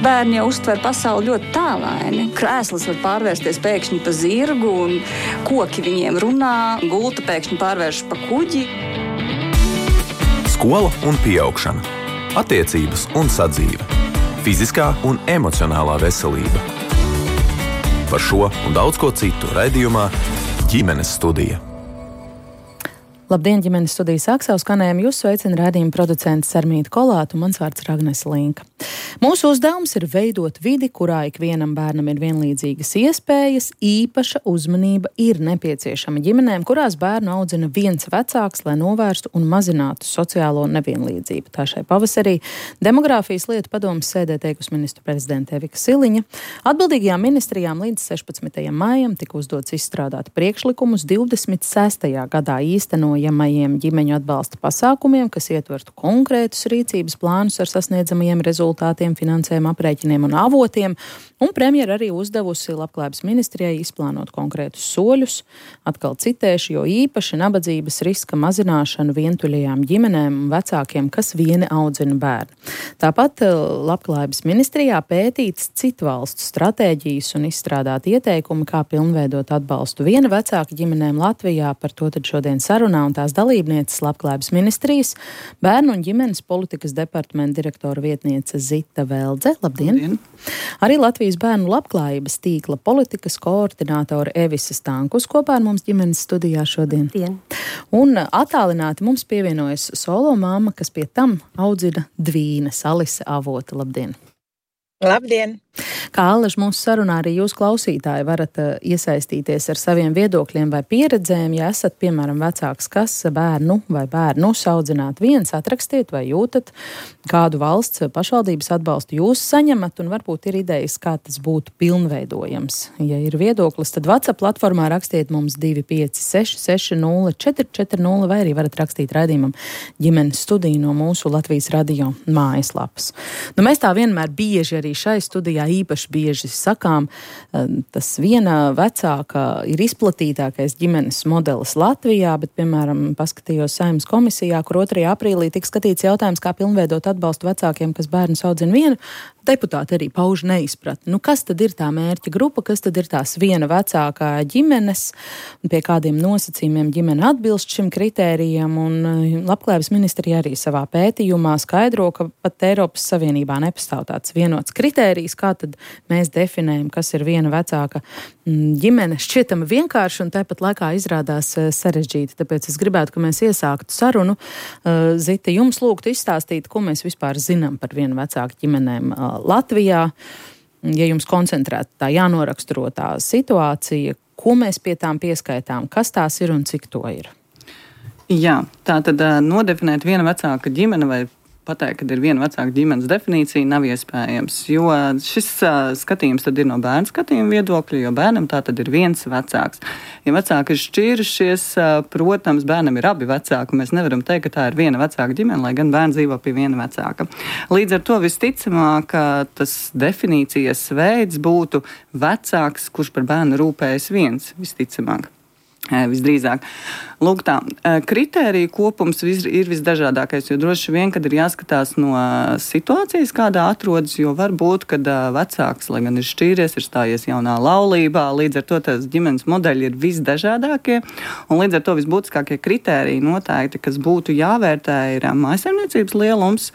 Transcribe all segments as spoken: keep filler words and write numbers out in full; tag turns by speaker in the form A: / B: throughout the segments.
A: Bērni jau uztver pasauli ļoti tālaini. Krēsls var pārvērsties pēkšņi pa zirgu, un koki viņiem runā, gulta pēkšņi pārvēršas pa kuģi.
B: Skola un pieaugšana, attiecības un sadzīve, fiziskā un emocionālā veselība. Par šo un daudz ko citu raidījumā Ģimenes studija.
C: Labdien, ģimenes studijas sāk savu skanējumu. Jūs sveicina raidījuma producents Sarmīta Kolāta un mans vārds Ragnese Linka. Mūsu uzdevums ir veidot vidi, kurā ikvienam bērnam ir vienlīdzīgas iespējas, īpaša uzmanība ir nepieciešama ģimenēm, kurās bērnu audzina viens vecāks, lai novērstu un mazinātu sociālo nevienlīdzību. Tā šai pavasarī Demogrāfijas lietu padomes sēdē teikusi ministru prezidente Evika Siliņa. Atbildīgajām ministrijām līdz sešpadsmitajam maijam tika uzdots izstrādāt priekšlikumus divdesmit sestajā gadā īstenojamajiem ģimeņu atbalsta pasākumiem, kas ietvertu konkrētus rīcības plānus ar sasniedzamajiem rezultātiem, finansējuma aprēķiniem un avotiem, un premjera arī uzdevusi Labklājības ministrijai izplānot konkrētus soļus, atkal citēšu, jo īpaši nabadzības riska mazināšanu vientuļajām ģimenēm un vecākiem, kas vieni audzina bērnu. Tāpat Labklājības ministrijā pētīts citu valstu stratēģijas un izstrādāt ieteikumi, kā pilnveidot atbalstu viena vecāka ģimenēm Latvijā. Par to tad šodien sarunā un tās dalībnieces Labklājības ministrijas bērnu un ģimenes politikas departamenta direktora vietniece Zita Veldze. Labdien! Labdien. Arī Latvijas bērnu labklājības tīkla politikas koordinātore Evisa Stankus kopā ar mums ģimenes studijā šodien.
D: Labdien.
C: Un attālināti mums pievienojas solo māma, kas pie tam audzina dvīnes, Alise Avota. Labdien!
D: Labdien!
C: Kā allaž mūsu sarunā arī jūs klausītāji varat uh, iesaistīties ar saviem viedokļiem vai pieredzēm. Ja esat, piemēram, vecāks, kas bērnu vai bērnu saudzināt viens, atrakstiet vai jūtat, kādu valsts pašvaldības atbalstu jūs saņemat, un varbūt ir idejas, kā tas būtu pilnveidojams. Ja ir viedoklis, tad WhatsApp platformā rakstiet mums divi pieci seši seši nulle četri četri nulle vai arī varat rakstīt raidījumam Ģimenes studiju no mūsu Latvijas radio mājaslapas. Nu, mēs tā vienmēr bieži arī šai studijā īpaši bieži sakām, tas viena vecāka ir izplatītākais ģimenes modelis Latvijā, bet, piemēram, paskatījos Saeimas komisijā, kur otrajā aprīlī tika skatīts jautājums, kā pilnveidot atbalstu vecākiem, kas bērnus audzina vienu. Deputāti arī pauž neizpratni. Nu, kas tad ir tā mērķa grupa, kas tad ir tās viena vecākā ģimenes, un pie kādiem nosacījumiem ģimene atbilst šim kritērijam, un Labklājības ministrija arī savā pētījumā skaidro, ka pat Eiropas Savienībā nepastāv tāds vienots kritērijs, kā tad mēs definējam, kas ir viena vecāka ģimene. Šķietami vienkārši un tāpat laikā izrādās sarežģīti, tāpēc es gribētu, ka mēs iesāktu sarunu. Zita, jums lūgtu izstāstīt, ko mēs vispār zinām par vienu vecāku ģimenēm Latvijā. Ja jums koncentrēt tā jānoraksturo tā situācija, ko mēs pie tām pieskaitām, kas tās ir un cik to ir?
E: Jā, tā tad nodefinēt viena vecāka ģimene vai pateikt, ka ir viena vecāka ģimenes definīcija, nav iespējams, jo šis uh, skatījums tad ir no bērnu skatījuma viedokļa, jo bērnam tā tad ir viens vecāks. Ja vecāki ir šķīrušies, uh, protams, bērnam ir abi vecāki, mēs nevaram teikt, ka tā ir viena vecāka ģimene, lai gan bērns dzīvo pie viena vecāka. Līdz ar to visticamāk, tas definīcijas veids būtu vecāks, kurš par bērnu rūpējas viens, visticamāk. Visdrīzāk. Lūk tā, kritēriju kopums ir visdažādākais, jo droši vien, kad ir jāskatās no situācijas, kādā atrodas, jo var būt, kad vecāks, lai gan ir šķīries, ir stājies jaunā laulībā, līdz ar to tās ģimenes modeļi ir visdažādākie, un līdz ar to visbūtiskākie kritēriji noteikti, kas būtu jāvērtē, ir mājsaimniecības lielums,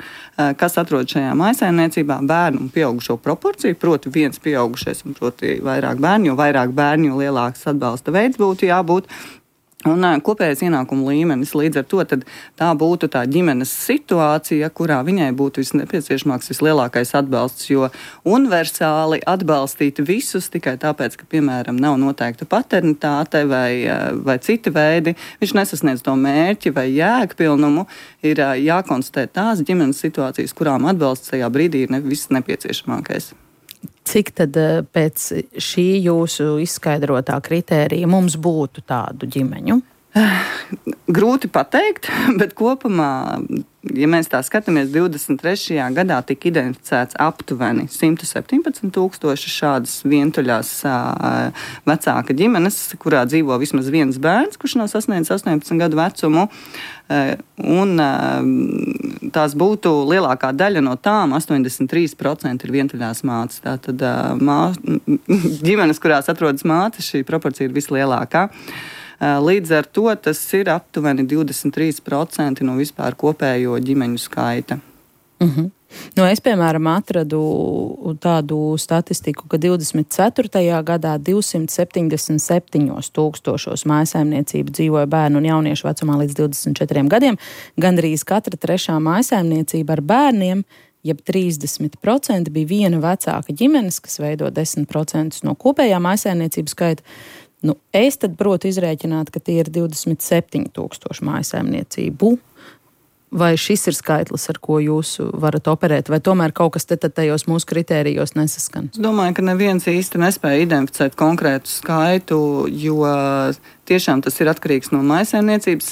E: kas atrodas šajā mājsaimniecībā, bērnu un pieaugušo proporciju, proti viens pieaugušais un proti vairāk bērnu, jo vairāk bērnu, jo lielāks atbalsta veids būtu jābūt. Un kopējais ienākuma līmenis, līdz ar to tad tā būtu tā ģimenes situācija, kurā viņai būtu visnepieciešamāks, vislielākais atbalsts, jo universāli atbalstīt visus tikai tāpēc, ka, piemēram, nav noteikta paternitāte vai, vai citi veidi, viņš nesasniedz to mērķi vai jēgpilnumu, ir jākonstatē tās ģimenes situācijas, kurām atbalsts tajā brīdī ir ne, viss nepieciešamākais.
C: Cik tad pēc šī jūsu izskaidrotā kritērija mums būtu tādu ģimeņu?
E: Grūti pateikt, bet kopumā ja mēs tā skatāmies, divdesmit trešajā gadā tika identificēts aptuveni simt septiņpadsmit tūkstoši šādas vientuļās uh, vecāka ģimenes, kurā dzīvo vismaz viens bērns, kurš nav sasniedzis astoņpadsmit gadu vecumu. Uh, un uh, tās būtu lielākā daļa no tām, astoņdesmit trīs procenti ir vientuļās mātes. Tātad uh, mā, ģimenes, kurās atrodas mātes, šī proporcija ir vislielākā. Līdz ar to tas ir aptuveni divdesmit trīs procenti no vispār kopējo ģimeņu skaita.
C: Uh-huh. Nu, es, piemēram, atradu tādu statistiku, ka divdesmit ceturtajā gadā divsimt septiņdesmit septiņos tūkstošos mājsaimniecību dzīvoja bērnu un jauniešu vecumā līdz divdesmit četriem gadiem. Gandrīz katra trešā mājsaimniecība ar bērniem, jeb trīsdesmit procenti bija viena vecāka ģimenes, kas veido desmit procentus no kopējā mājsaimniecību skaita. Nu, es tad protu izrēķināt, ka tie ir divdesmit septiņi tūkstoši mājsaimniecību. Vai šis ir skaitlis, ar ko jūs varat operēt, vai tomēr kaut kas te tajos mūsu kritērijos nesaskan?
E: Es domāju, ka neviens īsti nespēja identificēt konkrētu skaitu, jo tiešām tas ir atkarīgs no mājsaimniecības,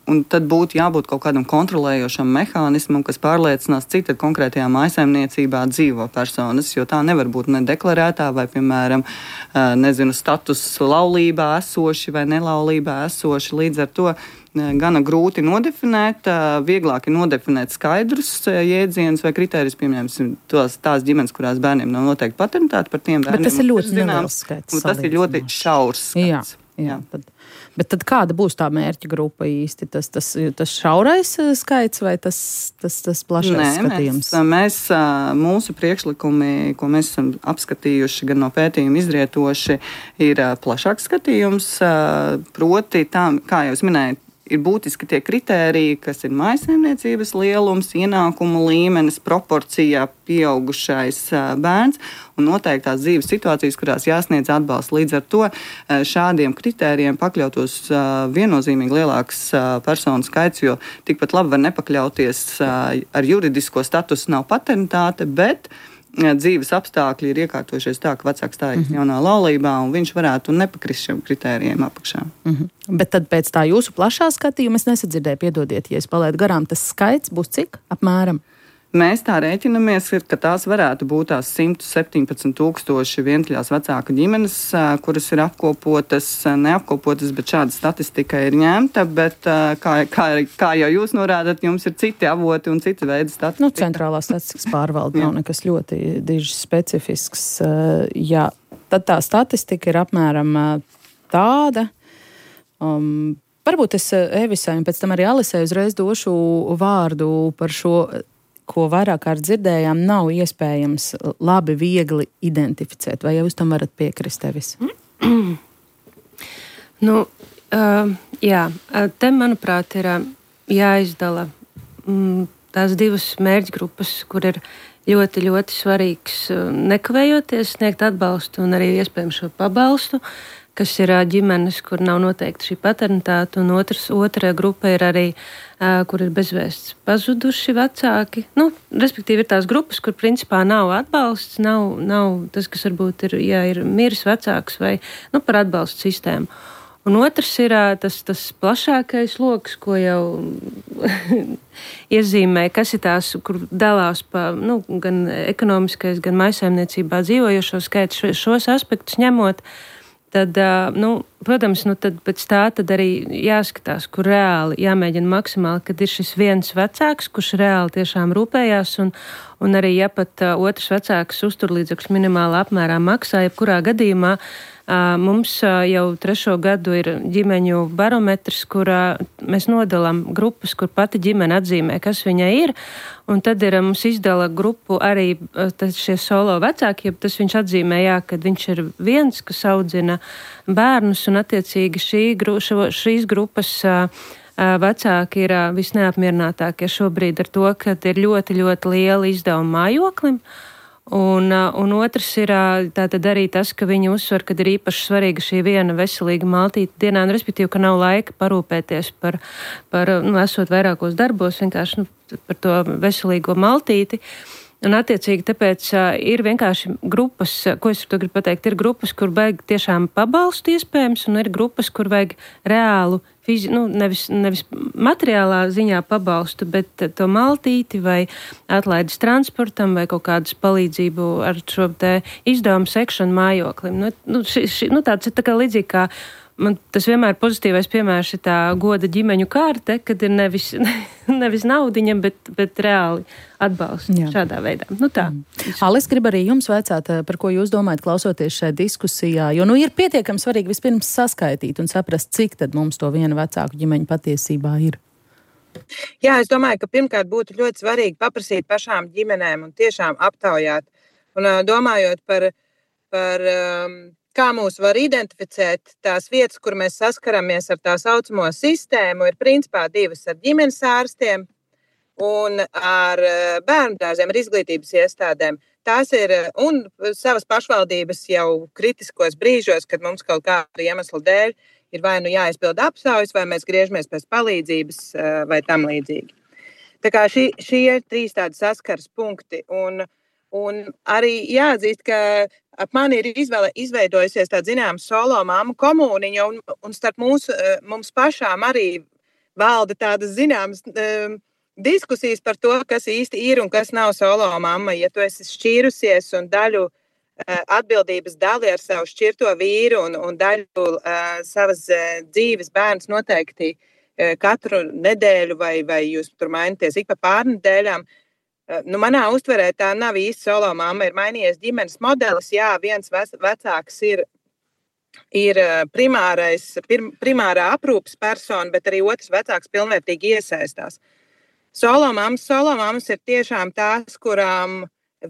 E: un tad būtu jābūt kaut kādam kontrolējošam mehānismam, kas pārliecinās, cik tad konkrētajā mājsaimniecībā dzīvo personas, jo tā nevar būt nedeklarētā vai, piemēram, nezinu, status laulībā esoši vai nelaulībā esoši. Līdz ar to gana grūti nodefinēt, vieglāk ir nodefinēt skaidrus jēdzienus vai kritērijus, piemēram, tos, tās ģimenes, kurās bērniem nav noteikti paternitāte par tiem bērniem.
C: Bet tas ir ļoti neliels skaits.
E: Tas ir ļoti šaurs skaits.
C: Jā, jā. Tad, bet tad kāda būs tā mērķa grupa īsti? Tas, tas, tas šaurais skaits vai tas, tas, tas plašais Nē, skatījums?
E: Mēs, mēs, mūsu priekšlikumi, ko mēs esam apskatījuši, gan no pētījuma izrietoši, ir plašāks skatījums. Proti, tā, kā jau es minēju, ir būtiski tie kritēriji, kas ir mājsaimniecības lielums, ienākumu līmenis, proporcijā pieaugušais bērns un noteiktās dzīves situācijas, kurās jāsniedz atbalsts. Līdz ar to šādiem kritērijiem pakļautos viennozīmīgi lielāks personu skaits, jo tikpat labi var nepakļauties ar juridisko statusu nav paternitāte, bet dzīves apstākļi ir iekārtojušies tā, ka vecāks stājas mm-hmm. jaunā laulībā, un viņš varētu nepakrist šiem kritērijiem apakšā.
C: Mm-hmm. Bet tad pēc tā jūsu plašā skatījuma es nesadzirdēju, piedodiet, ja es palaidu garām, tas skaits būs cik apmēram?
E: Mēs tā rēķinamies, ka tās varētu būt tās simt septiņpadsmit tūkstoši vientuļās vecāku ģimenes, kuras ir apkopotas, neapkopotas, bet šāda statistika ir ņemta, bet kā, kā, kā jau jūs norādat, jums ir citi avoti un citi veidi statistika.
C: Nu, centrālā statistikas pārvalde nav nekas ļoti diži specifisks. Jā, tad tā statistika ir apmēram tāda. Um, varbūt es Evisai un pēc tam arī Alisai uzreiz došu vārdu par šo, ko vairāk kārt dzirdējām, nav iespējams labi, viegli identificēt. Vai jūs tam varat piekrist, Evis?
D: nu, uh, jā, te, manuprāt, ir uh, jāizdala mm, tās divas mērķgrupas, kur ir ļoti, ļoti svarīgs uh, nekavējoties sniegt atbalstu un arī iespējams šo pabalstu, kas ir uh, ģimenes, kur nav noteikti šī paternitāte, un otrs, otra grupa ir arī kur ir bezvēsts pazuduši vecāki. Nu, respektīvi ir tās grupas, kur principā nav atbalsts, nav, nav tas, kas varbūt ir, ja ir miris vecāks vai nu, par atbalstu sistēmu. Un otrs ir tas, tas plašākais loks, ko jau iezīmē, kas ir tās, kur dalās pa, nu, gan ekonomiskais, gan mājsaimniecībā dzīvojošo skaitu, šo, šos aspektus ņemot. Tad, nu, protams, nu, tad pēc tā tad arī jāskatās, kur reāli jāmēģina maksimāli, kad ir šis viens vecāks, kurš reāli tiešām rūpējās, un, un arī, ja pat uh, otrs vecāks uzturlīdzekļus minimālā apmērā maksā, jebkurā gadījumā uh, mums uh, jau trešo gadu ir ģimeņu barometrs, kurā mēs nodalām grupas, kur pati ģimene atzīmē, kas viņai ir, un tad ir mums izdala grupu arī šie solo vecāki, ja tas viņš atzīmē, jā, kad viņš ir viens, kas audzina bērnus, un attiecīgi šī, šo, šīs grupas uh, vecāki ir uh, visneapmierinātākie šobrīd ar to, ka ir ļoti, ļoti liela izdevuma mājoklim. Un, un otrs ir tātad arī tas, ka viņi uzsver, ka ir īpaši svarīga šī viena veselīga maltīte dienā, un respektīvi, ka nav laika parūpēties par, par nu, esot vairākos darbos, vienkārši nu, par to veselīgo maltīti. Un, attiecīgi, tāpēc uh, ir vienkārši grupas, ko es to gribu pateikt, ir grupas, kur vajag tiešām pabalstu iespējams, un ir grupas, kur vajag reālu, fizi, nu, nevis, nevis materiālā ziņā pabalstu, bet to maltīti vai atlaides transportam vai kaut kādas palīdzību ar šo te izdevumu sekšanu mājoklim. Nu, nu, ši, ši, nu tāds ir tā kā līdzīgi kā man tas vienmēr pozitīvais piemērs ir tā goda ģimeņu kārte, kad ir nevis, nevis naudiņa, bet, bet reāli atbalsts Jā. Šādā veidā. Nu tā.
C: Mm. Alis, grib arī jums vaicāt, par ko jūs domājat klausoties šajā diskusijā, jo nu ir pietiekami svarīgi vispirms saskaitīt un saprast, cik tad mums to viena vecāku ģimeņu patiesībā ir.
F: Jā, es domāju, ka pirmkārt būtu ļoti svarīgi paprasīt pašām ģimenēm un tiešām aptaujāt. Un domājot par, par um, kā mūs var identificēt tās vietas, kur mēs saskaramies ar tā saucamo sistēmu, ir principā divas ar ģimenes ārstiem un ar bērnu dārziem, ar izglītības iestādēm. Tās ir un savas pašvaldības jau kritiskos brīžos, kad mums kaut kādu iemeslu dēļ ir vai nu jāizpild apsaujas, vai mēs griežamies pēc palīdzības vai tam līdzīgi. Tā kā šī, šie ir trīs tādi saskaras punkti. Un, un arī jāatzīst, ka ap mani ir izvēle, izveidojusies tāda zināma solo mammu komuniņa, un, un starp mūsu, mums pašām arī valda tādas zināmas um, diskusijas par to, kas īsti ir un kas nav solo mamma. Ja tu esi šķīrusies un daļu uh, atbildības dali ar savu šķirto vīru un, un daļu uh, savas uh, dzīves bērns noteikti uh, katru nedēļu vai, vai jūs tur mainaties ik pa pārnedēļām, Nu, manā uztverē tā nav īsti solo mamma, ir mainījies ģimenes modelis. Jā, viens vecāks ir, ir primārais, pir, primārā aprūpes persona, bet arī otrs vecāks pilnvērtīgi iesaistās. Solo mammas, solo mammas ir tiešām tās, kurām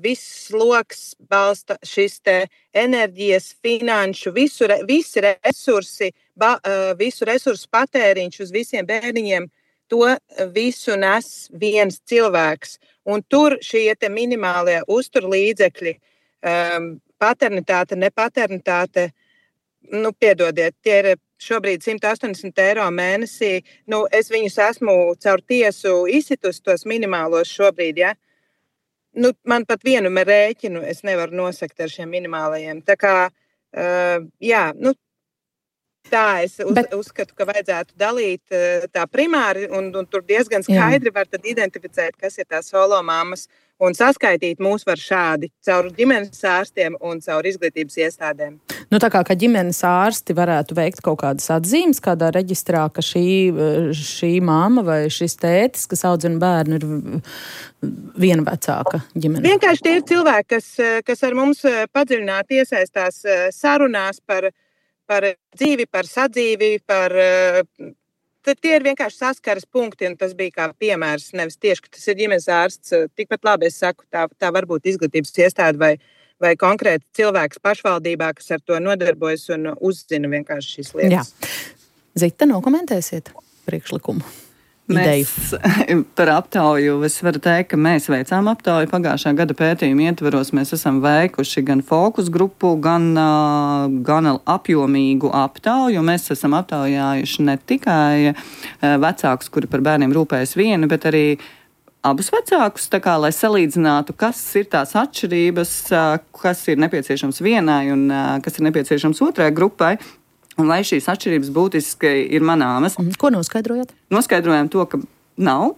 F: viss loks balsta šis te enerģijas, finanšu, visu, visi resursi, ba, visu resursu patēriņš uz visiem bērniņiem, to visu nes viens cilvēks. Un tur šie te minimālie uzturlīdzekļi, um, paternitāte, nepaternitāte, nu, piedodiet, tie ir šobrīd simt astoņdesmit eiro mēnesī. Nu, es viņus esmu caur tiesu izsitus tos minimālos šobrīd, ja. Nu, man pat vienu rēķinu es nevaru nosakt ar šiem minimālajiem. Tā kā, uh, jā, nu, tā es uz, Bet... uzskatu, ka vajadzētu dalīt tā primāri, un, un tur diezgan skaidri Jā. Var tad identificēt, kas ir tās solo mammas, un saskaitīt mūs var šādi, caur ģimenes ārstiem un caur izglītības iestādēm.
C: Nu, tā kā, ka ģimenes ārsti varētu veikt kaut kādas atzīmes kādā reģistrā, ka šī, šī mamma vai šis tētis, kas audzina bērnu, ir viena vecāka ģimene.
F: Vienkārši tie ir cilvēki, kas, kas ar mums padziļināti iesaistās sarunās par par dzīvi, par sadzīvi, par... Tad tie ir vienkārši saskaras punkti, un tas bija kā piemērs, nevis tieši, ka tas ir ģimenes ārsts. Tikpat labi es saku, tā, tā var būt izglītības iestāde vai, vai konkrēti cilvēks pašvaldībā, kas ar to nodarbojas un uzzina vienkārši šīs lietas.
C: Jā. Zita, nokomentēsiet priekšlikumu?
E: Mēs par aptauju, es varu teikt, ka mēs veicām aptauju pagājušā gada pētījuma ietvaros. Mēs esam veikuši gan fokus grupu, gan, gan apjomīgu aptauju. Mēs esam aptaujājuši ne tikai vecākus, kuri par bērniem rūpējas vieni, bet arī abus vecākus, tā kā, lai salīdzinātu, kas ir tās atšķirības, kas ir nepieciešams vienai un kas ir nepieciešams otrai grupai. Un vai šīs atšķirības būtiski ir manāmas?
C: Ko noskaidrojat?
E: Noskaidrojam to, ka nav.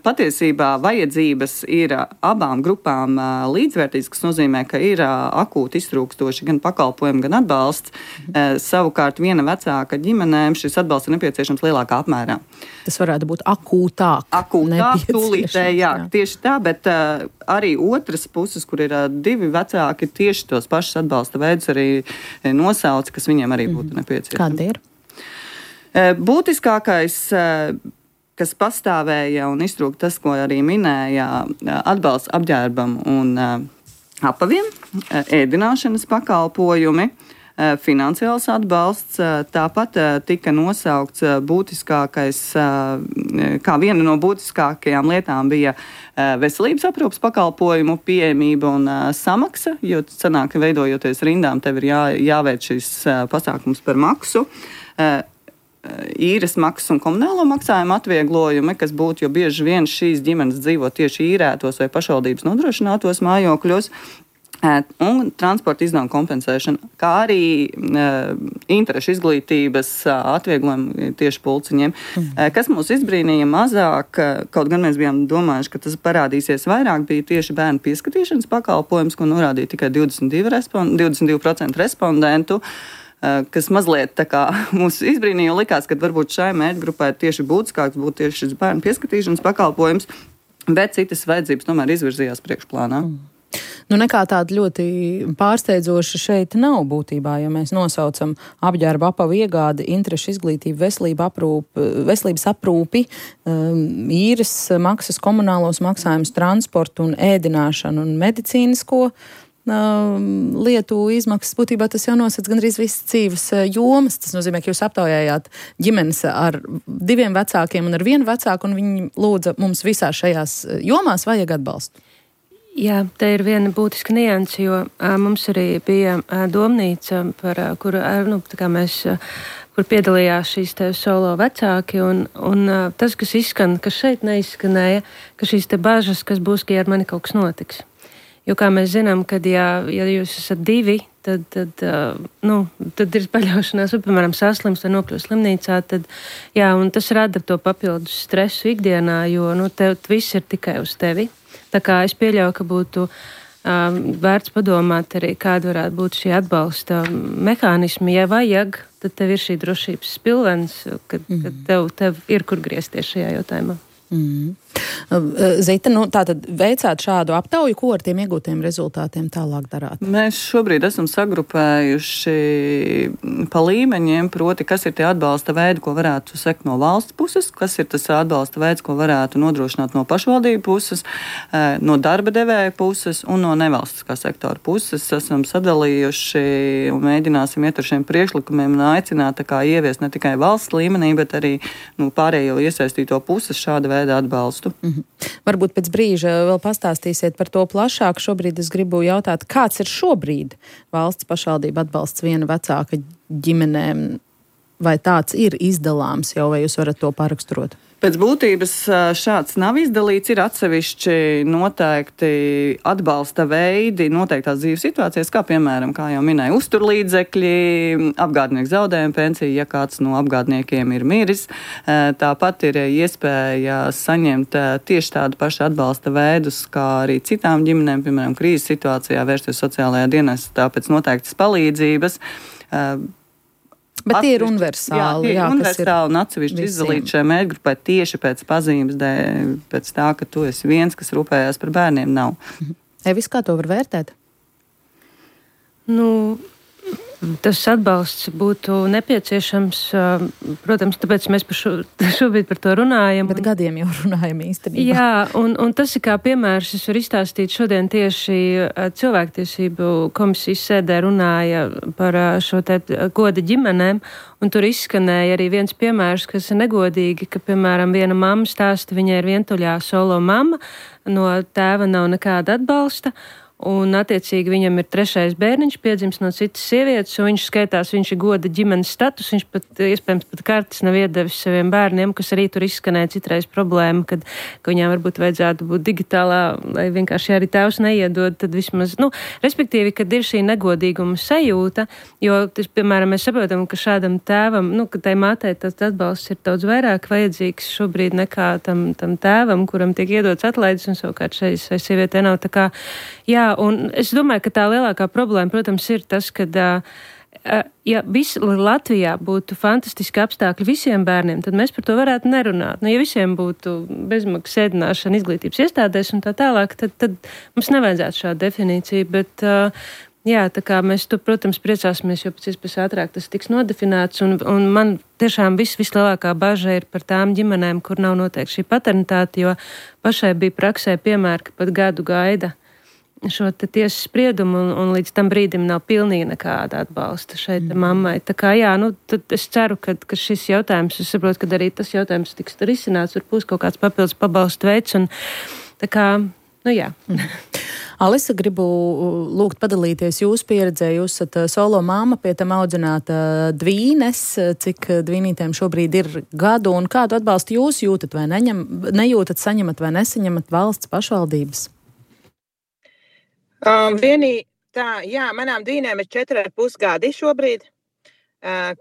E: Patiesībā vajadzības ir abām grupām līdzvērtīgas, kas nozīmē, ka ir akūti iztrūkstoši gan pakalpojumi, gan atbalsts. Mm. Savukārt viena vecāka ģimenēm šis atbalsts ir nepieciešams lielākā apmērā.
C: Tas varētu būt akūtāk.
E: Akūtāk, tūlītēji, jā, jā, tieši tā, bet uh, arī otras puses, kur ir uh, divi vecāki, tieši tos pašus atbalsta veidus arī nosauca, kas viņiem arī būtu mm. nepieciešams.
C: Kāda ir?
E: Uh, būtiskākais... Uh, kas pastāvēja un iztrūka tas, ko arī minēja, atbalsts apģērbam un apaviem, ēdināšanas pakalpojumi, finansiāls atbalsts. Tāpat tika nosaukts būtiskākais, kā viena no būtiskākajām lietām bija veselības aprūpas pakalpojumu pieejamība un samaksa, jo sanāk, ka veidojoties rindām, tev ir jā, jāveic šis pasākums par maksu. īres maksas un komunālo maksājumu atvieglojumi, kas būtu, jo bieži vien šīs ģimenes dzīvo tieši īrētos vai pašvaldības nodrošinātos mājokļos, un transporta izdevumu kompensēšana, kā arī uh, interešu izglītības uh, atvieglojumi tieši pulciņiem. Mm. Uh, kas mūs izbrīnīja mazāk, uh, kaut gan mēs bijām domājuši, ka tas parādīsies vairāk, bija tieši bērnu pieskatīšanas pakalpojums, ko norādīja tikai divdesmit divi, respond, divdesmit divi procenti respondentu, uh, kas mazliet tā kā mūs izbrīnīja, likās, ka varbūt šai mērķgrupai tieši būtiskāks būtu tieši šis bērnu pieskatīšanas pakalpojums, bet citas vajadzības tomēr izvirzījās priekšplānā. Mm.
C: Nu, nekā tāda ļoti pārsteidzoša šeit nav būtībā, ja mēs nosaucam apģērba, apavu iegādi, interešu izglītību, veselību aprūpi, veselības aprūpi, īres maksas, komunālos maksājumus, transportu un ēdināšanu un medicīnisko lietu izmaksas. Būtībā tas jau nosacīts gandrīz visas dzīves jomas. Tas nozīmē, ka jūs aptaujājāt ģimenes ar diviem vecākiem un ar vienu vecāku, un viņi lūdza mums visās šajās jomās vajag atbalstu.
D: Jā, te ir viena būtiska nianse, jo a, mums arī bija a, domnīca, par, a, kur, a, nu, tā kā mēs, a, kur piedalījās šīs te solo vecāki, un, un a, tas, kas izskan, kas šeit neizskanēja, ka šīs te bažas, kas būs, ka ar mani kaut kas notiks. Jo, kā mēs zinām, kad ja, ja jūs esat divi, tad, tad, uh, nu, tad ir paļaušanās, vai, piemēram, saslims vai nokļūst slimnīcā, tad, jā, un tas rada to papildus stresu ikdienā, jo, nu, tev viss ir tikai uz tevi. Tā kā es pieļauju, ka būtu um, vērts padomāt arī, kāda varētu būt šī atbalsta mehānismi. Ja vajag, tad tev ir šī drošības spilvens, kad, mm. kad tev, tev ir kur griezties šajā jautājumā.
C: Mm. Zita, nu, tātad veicāt šādu aptauju, ko ar tiem iegūtiem rezultātiem tālāk darāt?
E: Mēs šobrīd esam sagrupējuši pa līmeņiem, proti, kas ir tie atbalsta veidi, ko varētu sekt no valsts puses, kas ir tas atbalsta veids, ko varētu nodrošināt no pašvaldību puses, no darba devēja puses un no nevalstiskā sektora puses. Esam sadalījuši un mēģināsim iet ar šiem priekšlikumiem un aicināt tā kā ieviest ne tikai valsts līmenī, bet arī nu, pārējo iesaistīto puses šāda veida atbalstu.
C: Mm-hmm. Varbūt pēc brīža vēl pastāstīsiet par to plašāk. Šobrīd es gribu jautāt, kāds ir šobrīd valsts pašvaldība atbalsts viena vecāka ģimenēm? Vai tāds ir izdalāms jau, vai jūs varat to paraksturot?
E: Pēc būtības šāds nav izdalīts, ir atsevišķi noteikti atbalsta veidi noteiktās dzīves situācijas, kā piemēram, kā jau minēja, uzturlīdzekļi, apgādnieku zaudējuma pensija, ja kāds no apgādniekiem ir miris. Tāpat ir iespēja saņemt tieši tādu pašu atbalsta veidus, kā arī citām ģimenēm, piemēram, krīzes situācijā vērsties sociālajā dienestā pēc noteiktas palīdzības.
C: Bet tie ir universāli.
E: Jā, tie ir jā, universāli un atsevišķi izdalīt šai mērķgrupai tieši pēc pazīmes, dēļ, pēc tā, ka tu esi viens, kas rūpējās par bērniem, nav.
C: Evis, kā to var vērtēt?
D: Nu, tas atbalsts būtu nepieciešams, protams, tāpēc mēs par šo, šobrīd par to runājam.
C: Bet gadiem jau runājam īstenībā.
D: Jā, un, un tas ir kā piemērs, es varu izstāstīt šodien tieši cilvēktiesību komisijas sēdē runāja par šo te goda ģimenēm, un tur izskanēja arī viens piemērs, kas ir negodīgi, ka, piemēram, viena mamma stāsta, viņai ir vientuļā solo mamma, no tēva nav nekāda atbalsta, un, attiecīgi, viņam ir trešais bērniņš, piedzimis no citas sievietes, un viņš skaitās, viņš ir goda ģimenes status, viņš pat, iespējams, pat kartes nav iedevis saviem bērniem, kas arī tur izskanēja citreiz problēma, kad, ka viņām varbūt vajadzētu būt digitālā, lai vienkārši arī tēvs neiedod, tad vismaz, nu, respektīvi, kad ir šī negodīguma sajūta, jo, tas, piemēram, mēs saprotam, ka šādam tēvam, nu, ka tai mātei tas atbalsts ir daudz vairāk vajadzīgs šobrīd nekā tam, tam tēvam, kuram tiek iedots atlaides, un savukārt šai sievietē nav tā kā, jā, un es domāju, ka tā lielākā problēma, protams, ir tas, ka, ja viss Latvijā būtu fantastiski apstākļi visiem bērniem, tad mēs par to varētu nerunāt. Nu, ja visiem būtu bezmaksas ēdināšana izglītības iestādēs un tā tālāk, tad, tad mums nevajadzētu šādu definīciju, bet jā, tā kā mēs to, protams, priecāsimies, jo pēc iespējas ātrāk tas tiks nodefinēts, un, un man tiešām viss vislielākā baža ir par tām ģimenēm, kur nav noteikti šī paternitāte, jo pašai bija praksē piemēri, ka pat gadu gaida šo te tiesas spriedumu, un, un līdz tam brīdim nav pilnīgi nekāda atbalsta šeit mm. mammai. Tā kā jā, nu, tad es ceru, ka, ka šis jautājums, es saprotu, ka arī tas jautājums tiks risināts, varbūt kaut kāds papildus pabalstu veids, un tā kā, nu jā. Mm.
C: Alisa, gribu lūgt padalīties jūsu pieredzē. Jūs esat solo māma, pie tam audzināta dvīnes. Cik dvīnītēm šobrīd ir gadu un kādu atbalstu jūs jūtat vai neņem, nejūtat, saņemat vai nesaņemat valsts pašvaldības?
F: Um, vienī, tā, jā, manām dvīnēm ir četri ar pus gadi šobrīd. Uh,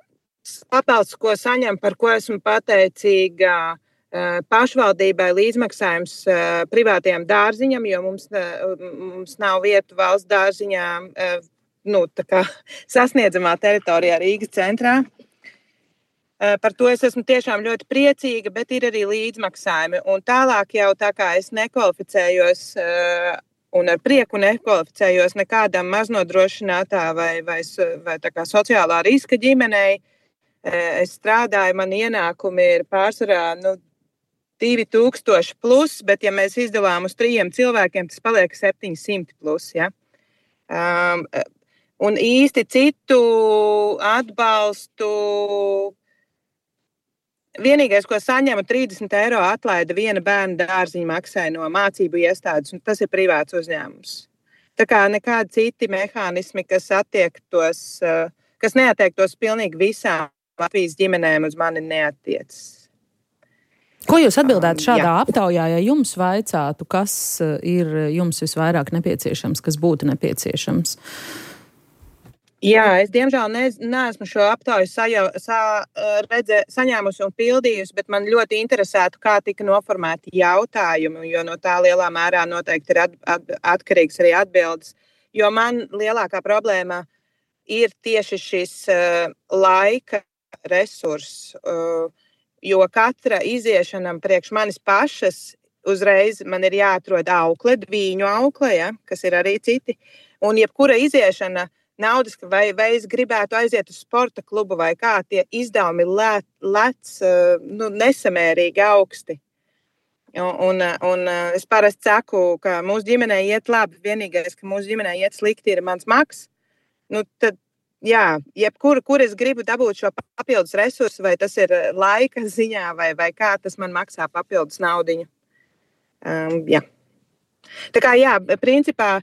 F: Papildus, ko saņem, par ko esmu pateicīga uh, pašvaldībai, līdzmaksājums uh, privātajam dārziņam, jo mums, uh, mums nav vietu valsts dārziņā, uh, nu, tā kā sasniedzamā teritorijā Rīgas centrā. Uh, par to es esmu tiešām ļoti priecīga, bet ir arī līdzmaksājumi. Un tālāk jau tā kā es nekvalificējos uh, un ar prieku nekvalificējos nekādam maznodrošinātā vai, vai, vai tā kā sociālā riska ģimenei. Es strādāju, man ienākumi ir pārsvarā nu, divi tūkstoši plus, bet ja mēs izdalām uz trījiem cilvēkiem, tas paliek septiņi simti plus. Ja? Um, un īsti citu atbalstu, vienīgais, ko saņemu, trīsdesmit eiro atlaida viena bērna dārziņa maksai no mācību iestādes, un tas ir privāts uzņēmums. Tā kā nekādi citi mehānismi, kas attiektos, kas neattiektos pilnīgi visām Latvijas ģimenēm, uz mani neattiecas.
C: Ko jūs atbildētu šādā
F: Jā.
C: aptaujā, ja jums vaicātu, kas ir jums visvairāk nepieciešams, kas būtu nepieciešams?
F: Jā, es diemžēl ne, neesmu šo aptauju saja, sa, redzē, saņēmusi un pildījusi, bet man ļoti interesētu, kā tika noformēti jautājumi, jo no tā lielā mērā noteikti ir at, at, atkarīgs arī atbildes. Jo man lielākā problēma ir tieši šis uh, laika resurss, uh, jo katra iziešanam priekš manis pašas uzreiz man ir jāatrod aukle, dvīņu aukle, ja, kas ir arī citi, un jebkura iziešana naudas, vai, vai es gribētu aiziet uz sporta klubu vai kā, tie izdevumi lec, lec uh, nu, nesamērīgi augsti. Un, un, un es parasti saku, ka mūsu ģimenei iet labi, vienīgais, ka mūsu ģimenei iet slikti, ir mans maks. Nu, tad, jā, jebkur, kur es gribu dabūt šo papildus resursu, vai tas ir laika ziņā, vai, vai kā tas man maksā papildus naudiņu. Um, jā. Tā kā, jā, principā,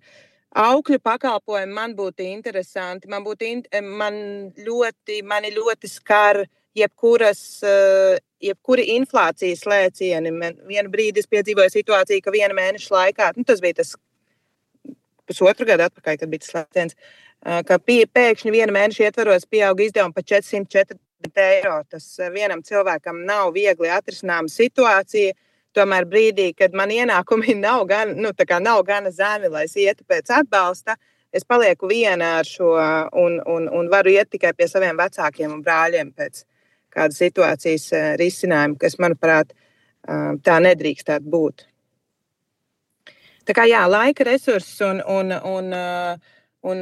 F: aukļu pakalpojumi man būtu interesanti. Man, būtu in, man ļoti, mani ļoti skar jebkuras, jebkuri inflācijas lēcieni. Man vienu brīdi es piedzīvoju situāciju, ka viena mēneša laikā, nu, tas bija tas pusotru gadu atpakaļ, kad bija tas lēciens, ka pēkšņi viena mēneša ietvaros pieauga izdevumi par četri simti četrdesmit eiro. Tas vienam cilvēkam nav viegli atrisināma situācija. Tomēr brīdī, kad man ienākumi nav gan, nu, tā kā nav gana zemi, lai es ietu pēc atbalsta, es palieku viena ar šo un, un, un varu iet tikai pie saviem vecākiem un brāļiem pēc kādas situācijas risinājuma, kas, manuprāt, tā nedrīkstētu būt. Tā kā jā, laika resurss un, un, un, un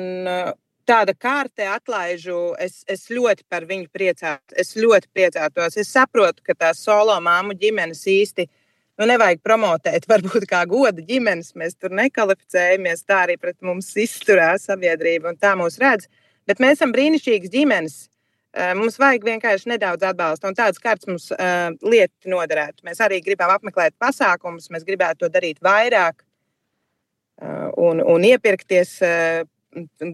F: tāda kārte atlaižu, es, es ļoti par viņu priecātos. Es ļoti priecātos. Es saprotu, ka tās solo māmu ģimenes īsti nu, nevajag promotēt, varbūt kā goda ģimenes. Mēs tur nekvalificējamies, tā arī pret mums izturās sabiedrība un tā mūs redz. Bet mēs esam brīnišķīgas ģimenes. Mums vajag vienkārši nedaudz atbalsta, un tādas kārtas mums uh, lieti noderētu. Mēs arī gribam apmeklēt pasākumus, mēs gribētu to darīt vairāk uh, un, un iepirkties uh,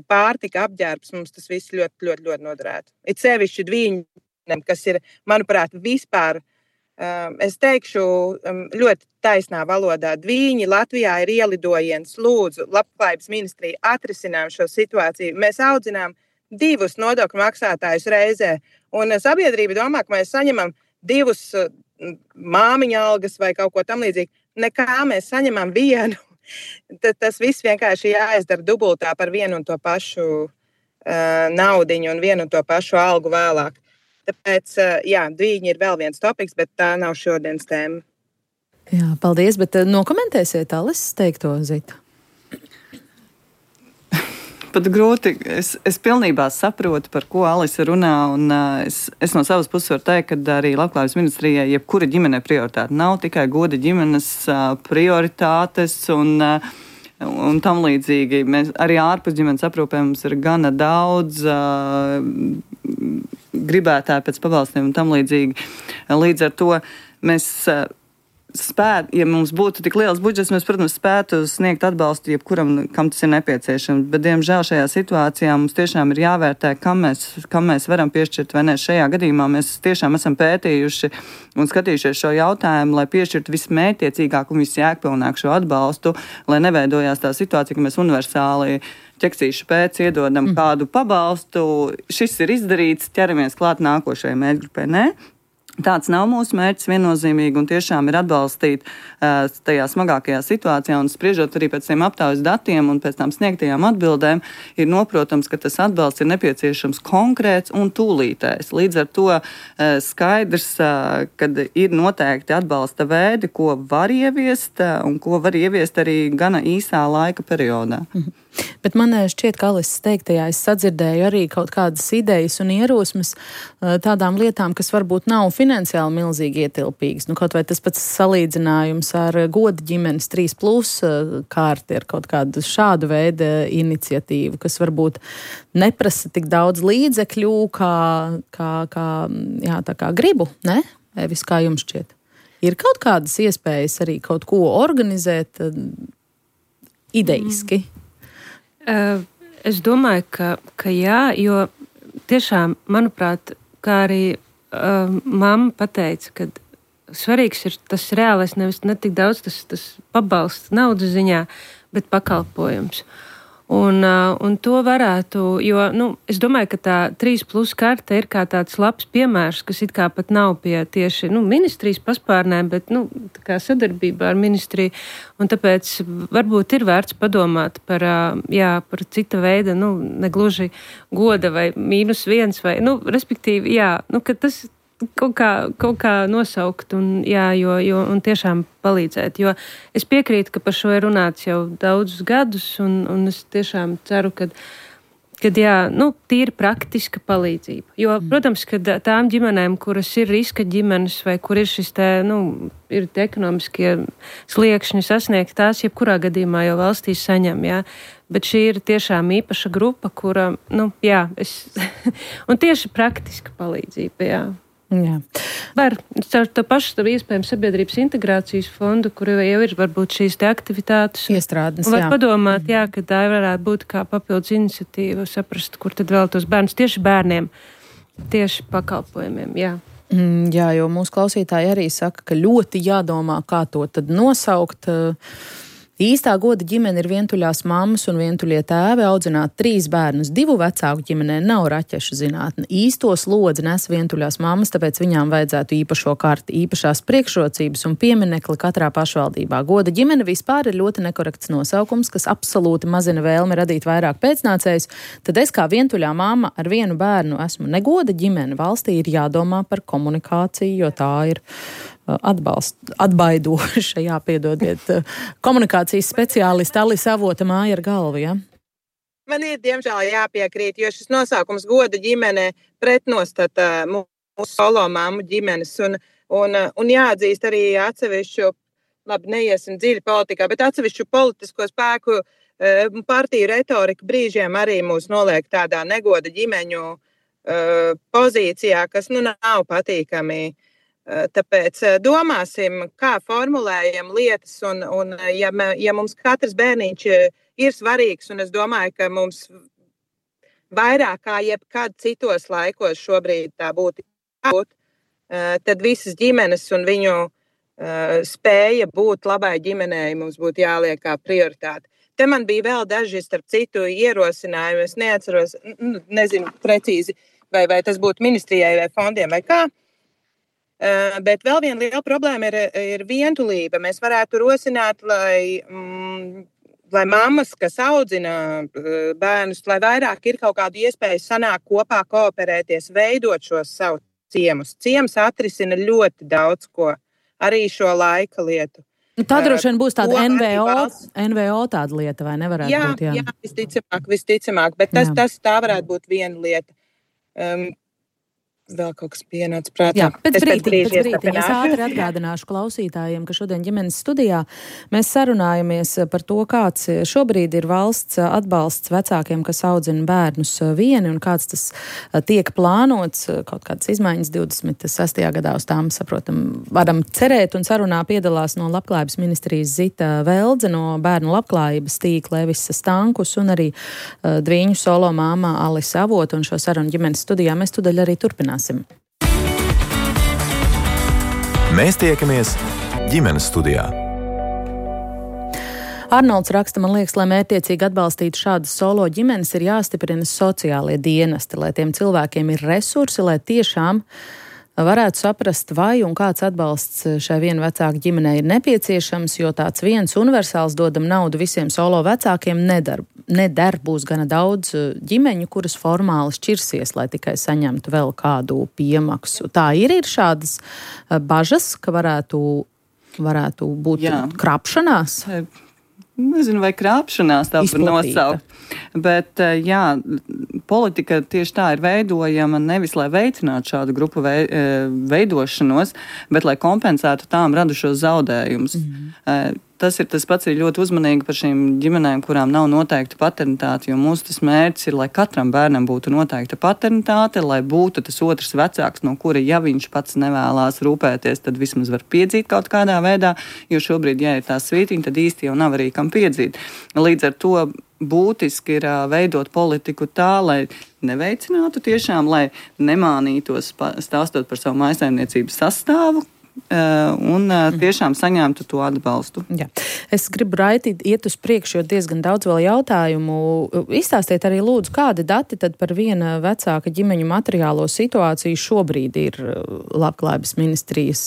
F: pārtika, apģērbs. Mums tas viss ļoti, ļoti, ļoti noderētu. It sevišķi dvīņiem, kas ir, manuprāt, vispār, uh, es teikšu, um, ļoti taisnā valodā. Dvīņi Latvijā ir ielidojiens. Lūdzu, Labklājības ministrija, atrisinām šo situāciju. Mēs audzinām divus nodokļu maksātājus reizē. Un sabiedrība domā, ka mēs saņemam divus māmiņa algas vai kaut ko tam līdzīgi. Nekā mēs saņemam vienu. Tad tas viss vienkārši jāizdara dubultā par vienu un to pašu uh, naudiņu un vienu un to pašu algu vēlāk. Tāpēc, uh, jā, dvīņi ir vēl viens topiks, bet tā nav šodienas tēma.
C: Jā, paldies, bet nokomentēsiet Alises teikto, Zita?
E: Pat grūti. Es, es pilnībā saprotu, par ko Alise runā, un uh, es, es no savas puses varu teikt, ka arī Labklājības ministrijai jebkura ģimene prioritāte nav tikai goda ģimenes uh, prioritātes un, uh, un tam līdzīgi. Mēs arī ārpus ģimenes aprūpē mums ir gana daudz uh, gribētāji pēc pabalstiem un tam līdzīgi. Līdz ar to mēs uh, spēt, ja mums būtu tik liels budžets, mēs, protams, spētu sniegt atbalstu jebkuram, kam tas ir nepieciešams. Bet, diemžēl, šajā situācijā mums tiešām ir jāvērtē, kam mēs, kam mēs varam piešķirt vai ne. Šajā gadījumā mēs tiešām esam pētījuši un skatījušies šo jautājumu, lai piešķirtu vismērķiecīgāk un visjēgpilnāk šo atbalstu, lai neveidojās tā situācija, ka mēs universāli ķeksīšu pēc iedodam mm. kādu pabalstu. Šis ir izdarīts, ķeramies klāt nākošajai mērķgrupai. Nē. Tāds nav mūsu mērķis viennozīmīgi un tiešām ir atbalstīt uh, tajā smagākajā situācijā un spriežot arī pēc tiem aptaujas datiem un pēc tām sniegtajām atbildēm, ir noprotams, ka tas atbalsts ir nepieciešams konkrēts un tūlītējs. Līdz ar to uh, skaidrs, uh, kad ir noteikti atbalsta veidi, ko var ieviest uh, un ko var ieviest arī gana īsā laika periodā.
C: Mhm. Bet man šķiet, ka Alises teiktajā es sadzirdēju arī kaut kādas idejas un ierosmes tādām lietām, kas varbūt nav finansiāli milzīgi ietilpīgas. Nu, kaut vai tas pats salīdzinājums ar goda ģimenes trīs plus kārti ar kaut kādu šādu veidu iniciatīvu, kas varbūt neprasa tik daudz līdzekļu, kā, kā, kā, jā, tā kā gribu, ne? Evis, kā jums šķiet? Ir kaut kādas iespējas arī kaut ko organizēt ideiski? Mm.
D: Uh, es domāju, ka, ka jā, jo tiešām, manuprāt, kā arī uh, mamma pateica, ka svarīgs ir tas reālais, nevis ne tik daudz tas, tas pabalsts naudas ziņā, bet pakalpojums. Un, uh, un to varētu, jo, nu, es domāju, ka tā trīs plus karte ir kā tāds labs piemērs, kas it kā pat nav pie tieši, nu, ministrijas paspārnēm, bet, nu, tā kā sadarbībā ar ministriju, un tāpēc varbūt ir vērts padomāt par, uh, jā, par cita veida, nu, negluži goda vai mīnus viens vai, nu, respektīvi, jā, nu, ka tas kaut kā, kaut kā nosaukt un, jā, jo, jo, un tiešām palīdzēt. Jo es piekrītu, ka par šo ir runāts jau daudzus gadus, un, un es tiešām ceru, ka, kad jā, nu, tīri praktiska palīdzība. Jo, mm. protams, ka tām ģimenēm, kuras ir riska ģimenes vai kur ir šis te, nu, ir te ekonomiskie sliekšņi sasniegt, tās jebkurā gadījumā jau valstīs saņem, jā. Bet šī ir tiešām īpaša grupa, kura, nu, jā, es, un tieši praktiska palīdzība, jā.
C: Jā.
D: Var caur to pašu tā iespējams sabiedrības integrācijas fondu, kur jau ir varbūt šīs te aktivitātes.
C: Iestrādnes,
D: var
C: jā.
D: padomāt, jā, ka tā varētu būt kā papildus iniciatīva, saprast, kur tad vēl tos bērnus tieši bērniem, tieši pakalpojumiem, jā.
C: Mm, jā, jo mūsu klausītāji arī saka, ka ļoti jādomā, kā to tad nosaukt. Īstā goda ģimene ir vientuļās mammas un vientuļie tēvi, audzināt trīs bērnus. Divu vecāku ģimenē nav raķešu zinātne. Īsto slodzi nes vientuļās mammas, tāpēc viņām vajadzētu īpašo karti, īpašās priekšrocības un pieminekli katrā pašvaldībā. Goda ģimene vispār ir ļoti nekorekts nosaukums, kas absolūti mazina vēlmi radīt vairāk pēcnācējus. Tad es kā vientuļā mamma ar vienu bērnu esmu negoda ģimene. Valstī ir jādomā par komunikāciju, jo tā ir atbalst, atbaidoša, jāpiedodiet, komunikācijas speciālista Alise Avota māja ar galvu, ja?
F: Man ir, diemžēl, jāpiekrīt, jo šis nosaukums goda ģimene pretnostata mūsu solo mammu ģimenes un, un, un jāatzīst arī atsevišķu, labi, neiesim dziļi politikā, bet atsevišķu politisko spēku partiju retorika brīžiem arī mūs noliek tādā negoda ģimeņu pozīcijā, kas, nu, nav patīkami. Tāpēc domāsim, kā formulējam lietas, un, un ja, me, ja mums katrs bērniņš ir svarīgs, un es domāju, ka mums vairāk kā jebkad citos laikos šobrīd tā būtu jābūt, tad visas ģimenes un viņu spēja būt labai ģimenei mums būtu jāliek kā prioritāte. Te man bija vēl daži, starp citu, ierosinājumi, es neatceros, nezinu precīzi, vai, vai tas būtu ministrijai vai fondiem vai kā. Uh, bet vēl viena liela problēma ir, ir vientulība. Mēs varētu rosināt, lai, mm, lai mammas, kas audzina uh, bērnus, lai vairāk ir kaut kāda iespēja sanākt kopā, kooperēties, veidot šos savus ciemus. Ciems atrisina ļoti daudz ko, arī šo laika lietu.
C: Tā droši vien būs tāda N V O, N V O tāda lieta, vai nevarētu
F: jā,
C: būt? Jā,
F: jā, visticamāk, visticamāk, bet tas, tas tā varētu būt viena lieta. Um, vēl kaut kas pienāca prātā.
C: Jā, pēc
F: es
C: brīdi,
F: pēc
C: pēc brīdi. Es ātri atgādināšu klausītājiem, ka šodien ģimenes studijā mēs sarunājamies par to, kāds šobrīd ir valsts atbalsts vecākiem, kas audzina bērnus vieni, un kāds tas tiek plānots, kaut kādas izmaiņas divdesmit sestajā gadā uz tām, saprotam, varam cerēt, un sarunā piedalās no Labklājības ministrijas Zita Veldze, no bērnu labklājības tīkla Evisa Stankus un arī uh, Dviņu solo māma Alisa Avota, un šo sarunu ģimenes studijā mēs tudaļ arī turpināsim.
B: Mēs tiekamies ģimenes studijā.
C: Arnolds raksta, man liekas, lai mērķtiecīgi atbalstītu šādas solo ģimenes, ir jāstiprina sociālie dienesti, lai tiem cilvēkiem ir resursi, lai tiešām varētu saprast, vai un kāds atbalsts šai vienu vecāku ģimenei ir nepieciešams, jo tāds viens universāls dodam naudu visiem solo vecākiem nedar. Nedar būs gana daudz ģimeņu, kuras formāli šķirsies, lai tikai saņemtu vēl kādu piemaksu. Tā ir, ir šādas bažas, ka varētu, varētu būt Jā. krāpšanās?
E: Nezinu, vai krāpšanās tā var nosaukt. Bet, jā, politika tieši tā ir veidojama nevis, lai veicinātu šādu grupu veidošanos, bet lai kompensētu tām radušos zaudējumus. Mm. Tas ir tas pats, ir ļoti uzmanīgi par šīm ģimenēm, kurām nav noteikta paternitāte, jo mūsu tas mērķis ir, lai katram bērnam būtu noteikta paternitāte, lai būtu tas otrs vecāks, no kura, ja viņš pats nevēlās rūpēties, tad vismaz var piedzīt kaut kādā veidā, jo šobrīd, ja ir tā svītiņa, tad īsti jau nav arī kam piedzīt. Līdz ar to būtiski ir veidot politiku tā, lai neveicinātu tiešām, lai nemānītos stāstot par savu mājsaimniecības sastāvu, un tiešām saņemtu to atbalstu.
C: Jā. Es gribu raitīt, iet uz priekšu, jo diezgan daudz vēl jautājumu. Izstāstiet arī lūdzu, kādi dati tad par viena vecāka ģimeņu materiālo situāciju šobrīd ir Labklājības ministrijas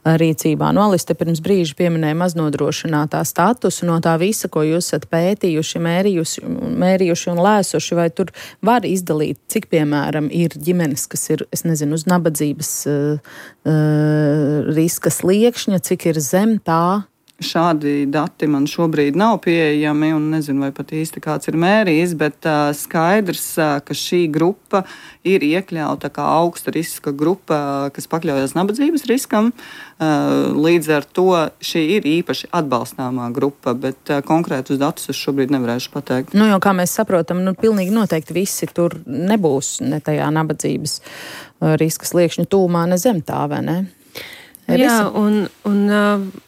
C: rīcībā. No Alis te pirms brīža pieminēja maznodrošinātā statusu, no tā visa, ko jūs esat pētījuši, mērījuši, mērījuši un lēsuši, vai tur var izdalīt, cik, piemēram, ir ģimenes, kas ir, es nezinu, uz nabadzības uh, uh, riska sliekšņa, cik ir zem tā?
E: Šādi dati man šobrīd nav pieejami un nezinu, vai pat īsti kāds ir mērījis, bet uh, skaidrs, uh, ka šī grupa ir iekļauta kā augsta riska grupa, kas pakļaujas nabadzības riskam. Uh, līdz ar to šī ir īpaši atbalstāmā grupa, bet uh, konkrētus datus es šobrīd nevarēšu pateikt.
C: Nu, jo, kā mēs saprotam, nu, pilnīgi noteikti visi tur nebūs ne tajā nabadzības uh, riska sliekšņa tūmā, ne zem tā, vai ne?
D: Jā, un, un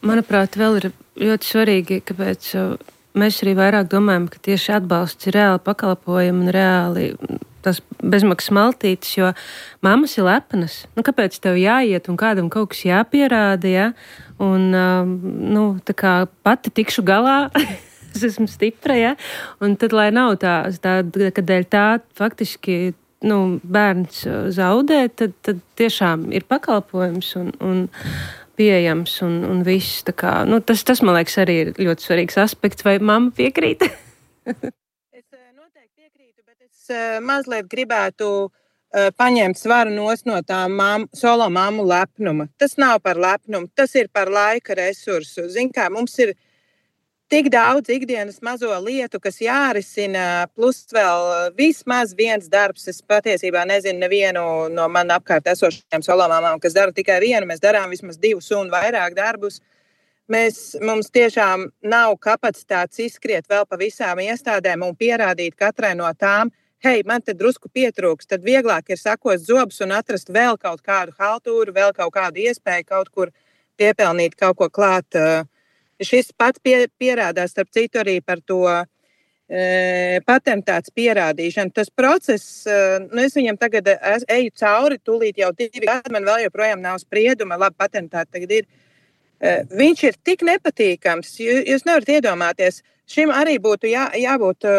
D: manuprāt, vēl ir ļoti svarīgi, kāpēc mēs arī vairāk domājam, ka tieši atbalsts ir reāli pakalpojumi un reāli tas bezmaksas maltītes, jo mammas ir lepnas. Nu, kāpēc tev jāiet un kādam kaut kas jāpierāda, ja? Un, nu, tā kā pati tikšu galā, es esmu stipra, ja? Un tad, lai nav tā, tā kad dēļ tā faktiski nu, bērns zaudē, tad, tad tiešām ir pakalpojums un, un pieejams un, un viss. Tā kā, nu, tas, tas, man liekas, arī ir ļoti svarīgs aspekts. Vai mamma piekrīt?
F: Es noteikti piekrītu, bet es mazliet gribētu paņemt svaru nos no tā mam, solo mammu lepnuma. Tas nav par lepnumu, tas ir par laika resursu. Zin kā, mums ir tik daudz ikdienas mazo lietu, kas jārisina, plus vēl vismaz viens darbs. Es patiesībā nezinu nevienu no man apkārt esošajām solomāmām, kas dara tikai vienu. Mēs darām vismaz divus un vairāk darbus. Mēs, mums tiešām nav kapacitātes izskriet vēl pa visām iestādēm un pierādīt katrai no tām, hei, man te drusku pietrūks, tad vieglāk ir sakost zobus un atrast vēl kaut kādu haltūru, vēl kaut kādu iespēju kaut kur piepelnīt kaut ko klāt. Šis pats pie, pierādās, starp citu, arī par to e, patentāts pierādīšanu. Tas process, e, nu es viņam tagad es, eju cauri, tūlīt jau divi gadi, man vēl joprojām nav sprieduma, labi, patentāti tagad ir. E, viņš ir tik nepatīkams, jūs nevarat iedomāties, šim arī būtu jā, jābūt e,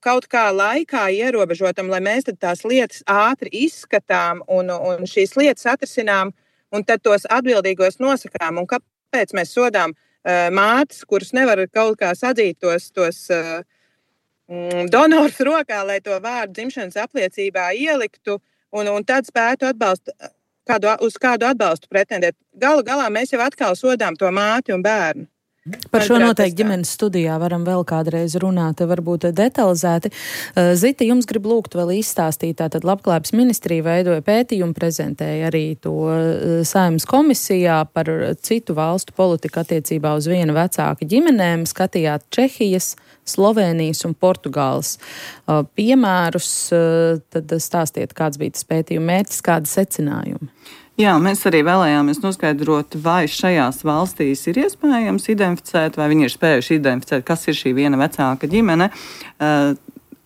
F: kaut kā laikā ierobežotam, lai mēs tad tās lietas ātri izskatām un, un šīs lietas atrisinām un tad tos atbildīgos nosakām. Un kāpēc mēs sodām mātes, kuras nevar kaut kā sadzīt tos, tos uh, donors rokā, lai to vārdu dzimšanas apliecībā ieliktu un, un tad spētu atbalstu, kādu, uz kādu atbalstu pretendēt. Galu galā mēs jau atkal sodām to māti un bērnu.
C: Par šo noteikti ģimenes studijā varam vēl kādreiz runāt, varbūt detalizēti. Zita, jums grib lūgt vēl izstāstīt, tātad Labklājības ministrija veidoja pētījumu, prezentēja arī to Saeimas komisijā par citu valstu politiku attiecībā uz viena vecāka ģimenēm. Skatījāt Čehijas, Slovēnijas un Portugāles piemērus. Tad stāstiet, kāds bija tas pētījuma mērķis, kādi secinājumi.
E: Jā, mēs arī vēlējāmies noskaidrot, vai šajās valstīs ir iespējams identificēt, vai viņi ir spējuši identificēt, kas ir šī viena vecāka ģimene. Uh,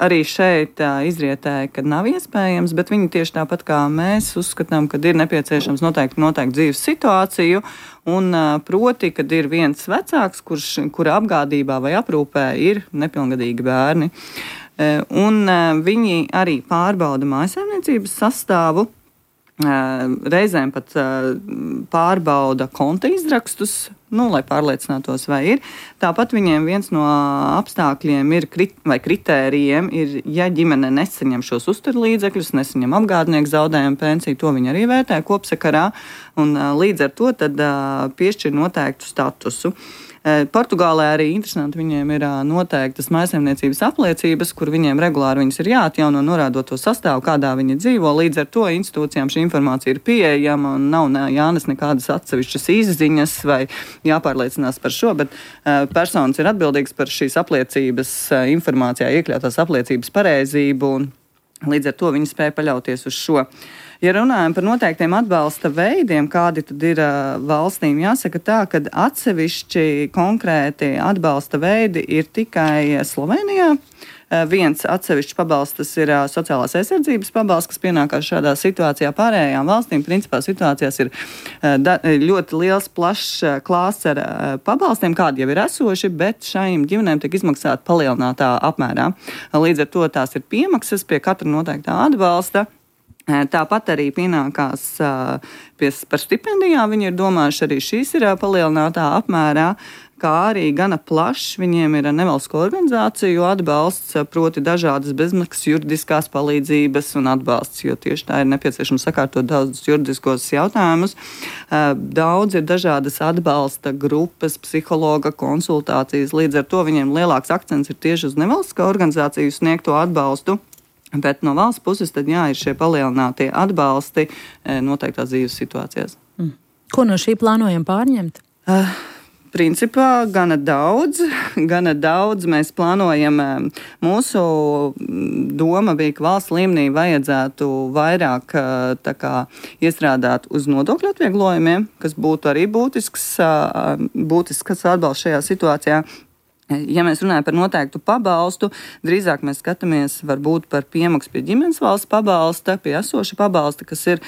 E: arī šeit uh, izrietēja, ka nav iespējams, bet viņi tieši tāpat kā mēs uzskatām, ka ir nepieciešams noteikti, noteikti dzīves situāciju, un uh, proti, kad ir viens vecāks, kurš, kura apgādībā vai aprūpē ir nepilngadīgi bērni. Uh, un uh, viņi arī pārbauda mājsaimniecības sastāvu. Reizēm pat pārbauda konta izrakstus, nu, lai pārliecinātos, vai ir. Tāpat viņiem viens no apstākļiem ir, krit, vai kritērijiem ir, ja ģimene nesaņem šos uzturlīdzekļus, nesaņem apgādnieku zaudējumu pensiju, to viņi arī vērtē kopsakarā, un līdz ar to tad piešķir noteiktu statusu. Portugālē arī interesanti, viņiem ir noteiktas mājsaimniecības apliecības, kur viņiem regulāri viņas ir jāatjauno, norādot to sastāvu, kādā viņi dzīvo. Līdz ar to institūcijām šī informācija ir pieejama un nav jānes nekādas atsevišķas izziņas vai jāpārliecinās par šo, bet personas ir atbildīgas par šīs apliecības informācijā iekļautās apliecības pareizību, un līdz ar to viņi spēja paļauties uz šo. Ja runājam par noteiktiem atbalsta veidiem, kādi tad ir uh, valstīm, jāsaka tā, ka atsevišķi konkrēti atbalsta veidi ir tikai Slovenijā. Uh, viens atsevišķs pabalsts, tas ir uh, sociālās aizsardzības pabalsts, kas pienākās šādā situācijā. Pārējām valstīm principā situācijās ir uh, da, ļoti liels, plašs uh, klāsts ar uh, pabalstiem, kādi jau ir esoši, bet šajām ģimenēm tiek izmaksāta palielinātā apmērā. Uh, līdz ar to tās ir piemaksas pie katra noteiktā atbalsta. Tāpat arī pienākās pie, par stipendijām. Viņi ir domājuši, arī šīs ir palielinātā apmērā, kā arī gana plašs. Viņiem ir nevalstisko organizāciju atbalsts, proti dažādas bezmaksas juridiskās palīdzības un atbalsts, jo tieši tā ir nepieciešams sakārtot daudzus juridiskos jautājumus. Daudz ir dažādas atbalsta grupas, psihologa konsultācijas. Līdz ar to viņiem lielāks akcents ir tieši uz nevalstisko organizāciju sniegto atbalstu. Bet no valsts puses tad jā, ir šie palielinātie atbalsti noteiktās dzīves situācijās.
C: Mm. Ko no šī plānojam pārņemt?
E: Uh, principā gana daudz, gana daudz mēs plānojam. Mūsu doma bija, ka valsts līmenī vajadzētu vairāk tā kā iestrādāt uz nodokļu atvieglojumiem, kas būtu arī būtisks, būtisks atbalsts šajā situācijā. Ja mēs runājam par noteiktu pabalstu, drīzāk mēs skatāmies varbūt par piemaksu pie ģimenes valsts pabalsta, pie esoša pabalsta, kas ir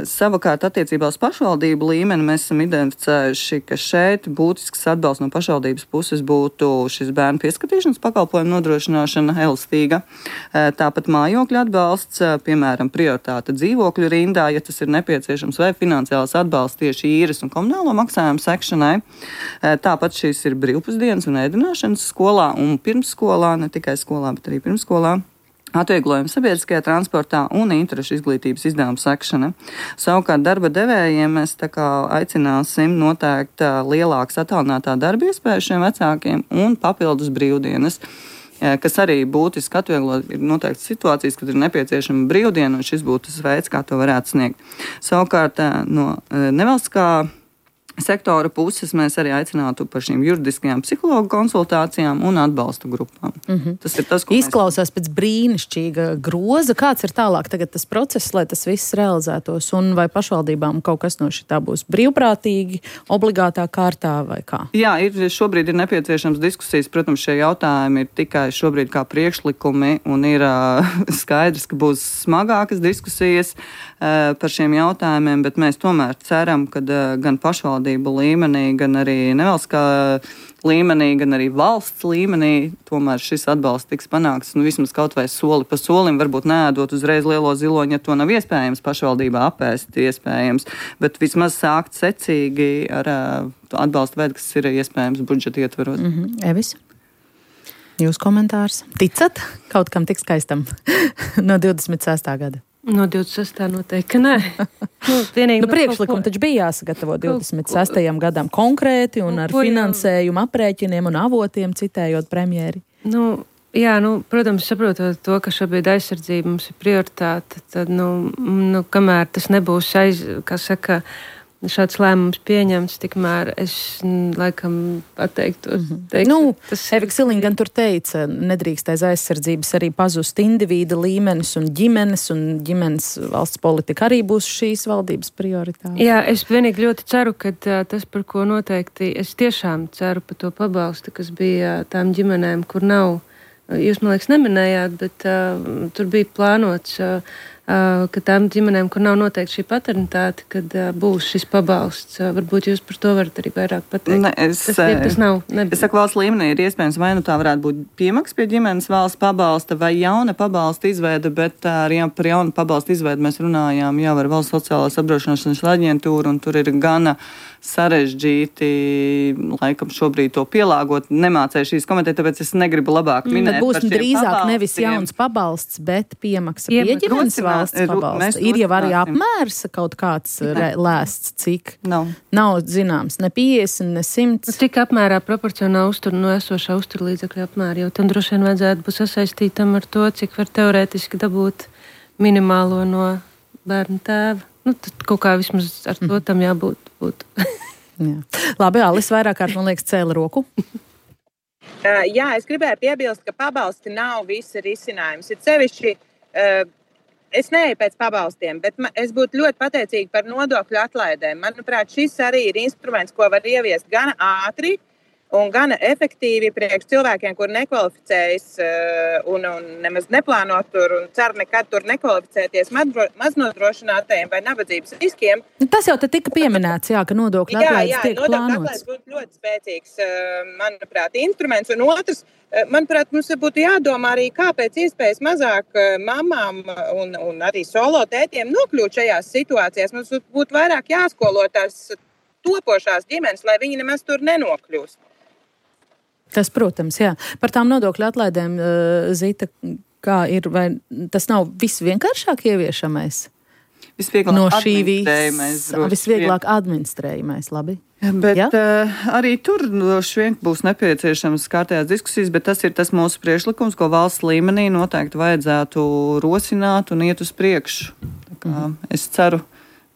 E: savukārt attiecībā uz pašvaldību līmeni. Mēs esam identificējuši, ka šeit būtisks atbalsts no pašvaldības puses būtu šis bērnu pieskatīšanas pakalpojumu nodrošināšana elastīga. Tāpat mājokļu atbalsts, piemēram, prioritāte dzīvokļu rindā, ja tas ir nepieciešams, vai finansiāls atbalsts tieši īres un komunālo maksājumu sekšanai. Tāpat šīs ir brīvpusdienas un ēdināšanas skolā un pirmsskolā, ne tikai skolā, bet arī pirmsskolā. Atvieglojumi sabiedriskajā transportā un interešu izglītības izdevumu sekšana. Savukārt darba devējiem mēs tā kā aicināsim noteikt lielākas attālinātā darba iespējas šiem vecākiem un papildus brīvdienas, kas arī būtiski atvieglot. Ir noteikti situācijas, kad ir nepieciešama brīvdiena, un šis būtu tas veids, kā to varētu sniegt. Savukārt no nevalstiskā sektora puses mēs arī aicinātu par šīm juridiskajām psihologu konsultācijām un atbalsta grupām. Mm-hmm. Tas ir tas, ko
C: Izklausās mēs... pēc brīnišķīga groza. Kāds ir tālāk tagad tas process, lai tas viss realizētos? Un vai pašvaldībām kaut kas no šitā būs brīvprātīgi, obligātā kārtā vai kā?
E: Jā, ir, šobrīd ir nepieciešams diskusijas. Protams, šie jautājumi ir tikai šobrīd kā priekšlikumi un ir uh, skaidrs, ka būs smagākas diskusijas uh, par šiem jautājumiem, bet mēs tomēr ceram, ka uh, gan pašvaldības līmenī, gan arī nevalstiskā līmenī, gan arī valsts līmenī tomēr šis atbalsts tiks panākts, nu vismaz kaut vai soli pa solim, varbūt neēdot uzreiz lielo ziloņu, ja to nav iespējams pašvaldībā apēst iespējams, bet vismaz sākt secīgi ar uh, atbalsta veidu, kas ir iespējams budžeta ietveros.
C: Mm-hmm. Evis? Jūs komentārs? Ticat kaut kam tik skaistam no divdesmit sestā gada?
D: No divdesmit sestā noteikti, ka nē. Nu,
C: nu, priekšlikumi taču bija jāsagatavo divdesmit sestajam gadam konkrēti un ar finansējumu aprēķiniem un avotiem, citējot premjeri.
D: Nu, jā, nu, protams, saprotot to, ka šobrīd aizsardzība mums ir prioritāte, tad, nu, nu kamēr tas nebūs aiz, kā saka, šāds lēmums pieņemts, tikmēr es laikam atteiktos. Mm-hmm. Teikt,
C: nu,
D: tas...
C: Evika Siliņa gan tur teica, nedrīkst aiz aizsardzības arī pazust individa līmenis un ģimenes, un ģimenes valsts politika arī būs šīs valdības prioritāte.
D: Jā, es vienīgi ļoti ceru, ka tas, par ko noteikti, es tiešām ceru par to pabalstu, kas bija tām ģimenēm, kur nav, jūs, man liekas, neminējāt, bet uh, tur bija plānots, uh, Uh, ka tām ģimenēm, kur nav noteikti šī paternitāte, kad uh, būs šis pabalsts. Uh, varbūt jūs par to varat arī vairāk pateikt.
E: Ne, es,
D: tas, ja, tas nav. Nebija.
E: Es saku, valsts līmenī ir iespējams, vai nu tā varētu būt piemaks pie ģimenes valsts pabalsta vai jauna pabalsta izveida, bet ar ja, par jaunu pabalsta izveidu mēs runājām jau ar Valsts sociālās apdrošināšanas aģentūru, un tur ir gana sarežģīti, laikam šobrīd to pielāgot. Nemācēju šīs komentēt, tāpēc es negribu labāk minēt.
C: Tad būs drīzāk nevis jauns pabalsts, bet piemaksa pie ģimenes valsts pabalsta. Ir jau arī apmērs kaut kāds re, lēsts, cik?
E: Nav.
C: Nav zināms, ne piecdesmit, ne simts.
D: Cik apmērā proporcionāli uztur no esošā uzturlīdzekļa apmēra, jo tam droši vien vajadzētu būt sasaistītam ar to, cik var teorētiski dabūt minimālo no bērnu tēva. Nu, tad kaut kā vismaz ar to tam jābūt.
C: Jā. Labi, Alis vairāk kārt, man liekas, cēla roku.
F: Uh, jā, es gribēju piebilst, ka pabalsti nav visi risinājums. Ir sevišķi, uh, es neeju pēc pabalstiem, bet ma, es būtu ļoti pateicīga par nodokļu atlaidēm. Manuprāt, šis arī ir instruments, ko var ieviest gan ātri un gan efektīvi priekš cilvēkiem, kur nekvalificējas uh, un, un nemaz neplāno tur un cer nekad tur nekvalificēties maznodrošinātajiem vai nabadzības riskiem.
C: Tas jau te tika pieminēts, jā, ka nodokļu atlaides tiek plānots. Jā, jā, nodokļu atlaides
F: būtu ļoti spēcīgs, uh, manuprāt, instruments. Un otrs, uh, manuprāt, mums būtu jādomā arī, kā pēc iespējas mazāk uh, mamām un, un arī solo tētiem nokļūt šajās situācijās. Mums būtu vairāk jāskolo tās topošās ģimenes, lai viņi nemaz tur nenokļūst.
C: Tas, protams, jā. Par tām nodokļu atlaidēm, Zita, kā ir, vai tas nav visvienkāršāk ieviešamais?
E: Visvieglāk
C: no šī
E: administrējamais.
C: Vis, visvieglāk administrējamais, labi.
E: Bet ja? uh, arī tur droši vien būs nepieciešams kārtējās diskusijas, bet tas ir tas mūsu priekšlikums, ko valsts līmenī noteikti vajadzētu rosināt un iet uz priekšu. Tā kā mm. es ceru,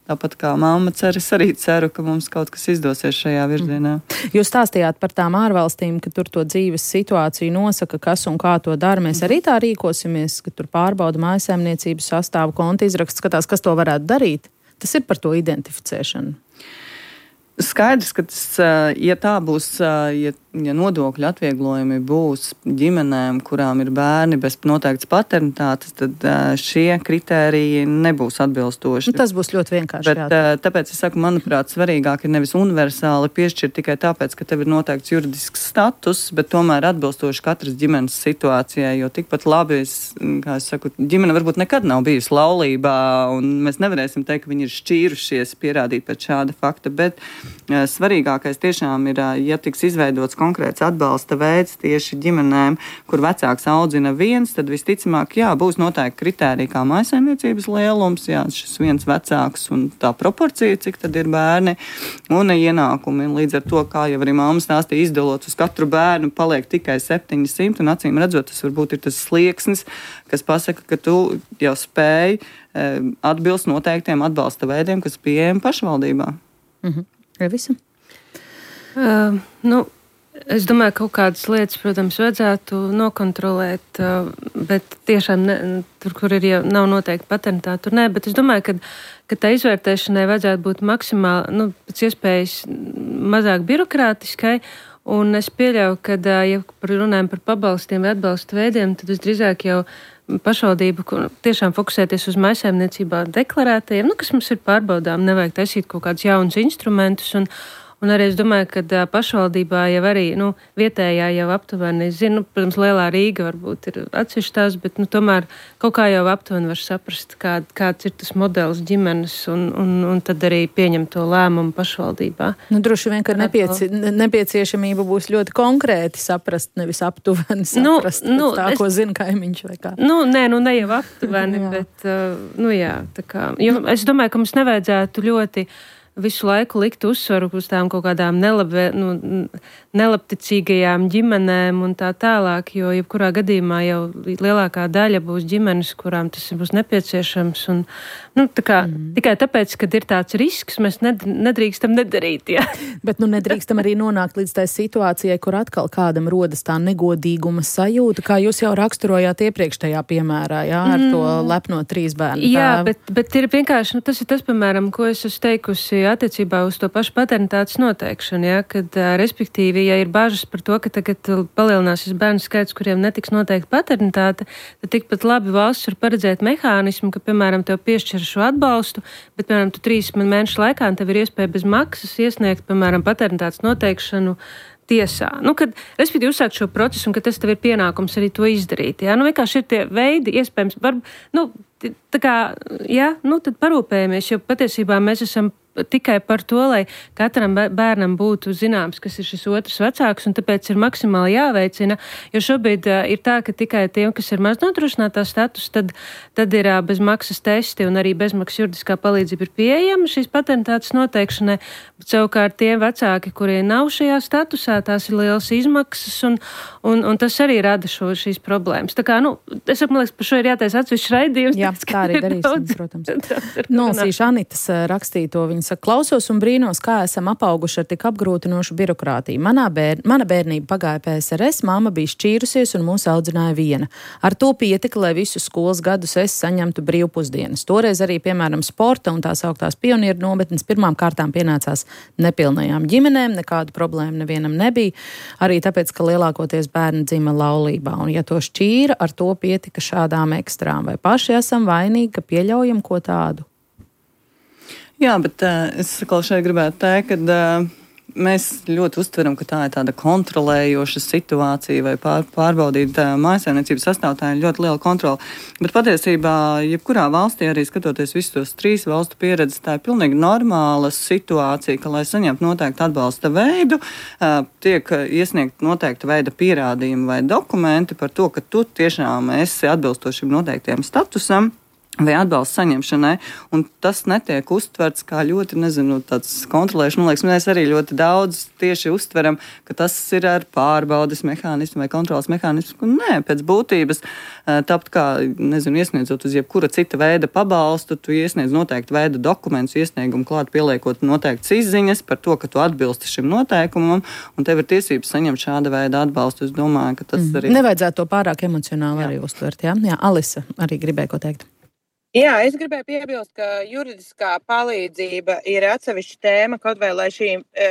E: tāpat kā mamma cer, es arī ceru, ka mums kaut kas izdosies šajā virzienā.
C: Jūs stāstījāt par tām ārvalstīm, ka tur to dzīves situāciju nosaka, kas un kā to dara. Mēs arī tā rīkosimies, ka tur pārbauda mājsaimniecības sastāvu, konta izraksts, skatās, kas to varētu darīt. Tas ir par to identificēšanu.
E: Skaidrs, ka tas, ja tā būs, ja, ja nodokļu atvieglojumi būs ģimenēm, kurām ir bērni bez noteiktas paternitātes, tad šie kritēriji nebūs atbilstoši.
C: Nu, tas būs ļoti vienkārši.
E: Bet, jā. Tāpēc es saku, manuprāt, svarīgāk ir nevis universāli piešķirt tikai tāpēc, ka tev ir noteikts juridisks status, bet tomēr atbilstoši katras ģimenes situācijai, jo tikpat labi, es, kā es saku, ģimene varbūt nekad nav bijusi laulībā, un mēs nevarēsim teikt, ka viņi ir šķīrušies, pierādīt pēc šāda fakta, bet svarīgākais tiešām ir, ja tiks izveidots konkrēts atbalsta veids tieši ģimenēm, kur vecāks audzina viens, tad visticamāk, jā, būs noteikti kritērija kā mājsaimniecības lielums, jā, šis viens vecāks un tā proporcija, cik tad ir bērni un ienākumi. Līdz ar to, kā jau arī mamma stāstīja, izdalot uz katru bērnu paliek tikai septiņi simti, un acīm redzot, tas varbūt ir tas slieksnis, kas pasaka, ka tu jau spēj atbilst noteiktiem atbalsta veidiem, kas pieejami pašvaldībā.
C: Mhm. Revisa?
D: Uh, nu, es domāju, ka kaut kādas lietas, protams, vajadzētu nokontrolēt, uh, bet tiešām ne, tur, kur ir jau nav noteikti paternitāte, tur nē, bet es domāju, ka, ka tā izvērtēšanai vajadzētu būt maksimāli, nu, pēc iespējas mazāk birokrātiskai, un es pieļauju, ka, ja runājam par pabalstiem vai atbalsta veidiem, tad visdrīzāk jau pašvaldību tiešām fokusēties uz mājsaimniecībā deklarētajiem, nu, kas mums ir pārbaudām, nevajag taisīt kaut kādus jaunus instrumentus, un, un arī es domāju, ka pašvaldībā jau arī, nu, vietējā jau aptuveni, es zinu, protams, Lielā Rīga varbūt ir atsevišķās, bet, nu, tomēr kaut kā jau aptuveni var saprast, kā, kāds ir tas modelis ģimenes, un, un, un tad arī pieņemt to lēmumu pašvaldībā.
C: Nu, droši vien, ka nepieci, nepieciešamība būs ļoti konkrēti saprast, nevis aptuveni saprast, nu, nu, tā, es, ko zina kaimiņš vai kā.
D: Nu, nē, nu, ne jau aptuveni, bet, uh, nu, jā, tā kā, jo es domāju, ka mums nevajadzētu ļoti visu laiku likt uzsvaru uz tām kaut kādām nelabē, nu, nelabticīgajām ģimenēm un tā tālāk, jo jebkurā gadījumā jau lielākā daļa būs ģimenes, kurām tas būs nepieciešams. Un, nu, tā kā, mm. tikai tāpēc, kad ir tāds risks, mēs nedrīkstam nedarīt. Ja?
C: Bet nu, nedrīkstam arī nonākt līdz tai situācijai, kur atkal kādam rodas tā negodīguma sajūta, kā jūs jau raksturojāt iepriekšējā piemērā, jā, ar mm. to lepno trīs bērnu tēvu.
D: Jā, bet, bet ir vienkārši, nu, tas ir tas, piemēram, ko es esmu teikusi attiecībā uz to pašu paternitātes noteikšanu, ja, kad, respektīvi, ja ir bažas par to, ka tagad palielināsies bērnu skaits, kuriem netiks noteikta paternitāte, tad tikpat labi valsts var paredzēt mehānismu, ka, piemēram, tev piešķir šo atbalstu, bet, piemēram, tu trīs mēnešu laikā tev ir iespēja bez maksas iesniegt, piemēram, paternitātes noteikšanu tiesā. Nu, kad, respektīvi, uzsākt šo procesu un ka tas tev ir pienākums arī to izdarīt. Ja? Nu, vienkārši ir tie veidi, iespējams, var, nu, tā kā, jā, nu, tad parūpējamies, jo patiesībā mēs esam tikai par to, lai katram bērnam būtu zināms, kas ir šis otrs vecāks, un tāpēc ir maksimāli jāveicina, jo šobrīd uh, ir tā, ka tikai tiem, kas ir maz nodrošinātā status, tad, tad ir uh, bezmaksas testi un arī bezmaksas juridiskā palīdzība ir pieejama šīs paternitātes noteikšanai, bet savukārt tie vecāki, kuriem nav šajā statusā, tās ir lielas izmaksas, un, un, un tas arī rada šo, šīs problēmas. Tā kā, nu, es man liekas, par šo ir jātais atsevišķs raidījums.
C: Jā, tā arī darīsim, protams. Nolasīšu Anitas rakstīto, viņa saka, klausos un brīnos, kā esam apauguši ar tik apgrūtinošu birokrātiju. Manā bēr, mana bērnība pagāja P S R S, māma bija šķīrusies un mūs audzināja viena. Ar to pietika, lai visus skolas gadus es saņemtu brīvpusdienas. Toreiz arī, piemēram, sporta un tās augtās pionieru nometnes pirmām kārtām pienācās nepilnajām ģimenēm, nekādu problēmu nevienam nebija, arī tāpēc, ka lielākoties bērni dzima laulībā. Un ja to šķīra, ar to pietika šādām ekstrām. Vai paši esam vainīgi, ka pieļaujam ko tādu?
E: Jā, bet uh, es atkal šeit gribētu teikt, ka uh, mēs ļoti uztveram, ka tā ir tāda kontrolējoša situācija vai pār, pārbaudīt uh, mājsaimniecības sastāvtāju ļoti liela kontrola. Bet patiesībā, jebkurā valstī, arī skatoties visus tos trīs valstu pieredzes, tā ir pilnīgi normāla situācija, ka, lai saņemtu noteiktu atbalsta veidu, uh, tiek iesniegt noteikta veida pierādījumi vai dokumenti par to, ka tu tiešām esi atbilstošiem noteiktiem statusam vai atbalsta saņemšanai, un tas netiek uztverts kā ļoti, nezinu, tāds kontrolēšana. Man liekas, mēs arī ļoti daudz tieši uztveram, ka tas ir ar pārbaudes mehānismu vai kontrolas mehānismu. Nē, pēc būtības, tāpat kā, nezinu, iesniedzot uz jebkura cita veida pabalstu, tu iesniedz noteikti veida dokumentus, iesniegumu klāt pieliekot noteiktas izziņas par to, ka tu atbilsti šim noteikumam, un tev ir tiesības saņemt šāda veida atbalstu. Es domāju, ka tas mm. arī...
C: Nevajadzētu to pārāk emocionāli jā. Arī uztvert, jā? Jā, Alisa arī gribēja ko teikt.
F: Jā, es gribēju piebilst, ka juridiskā palīdzība ir atsevišķa tēma, kaut vai lai šī e,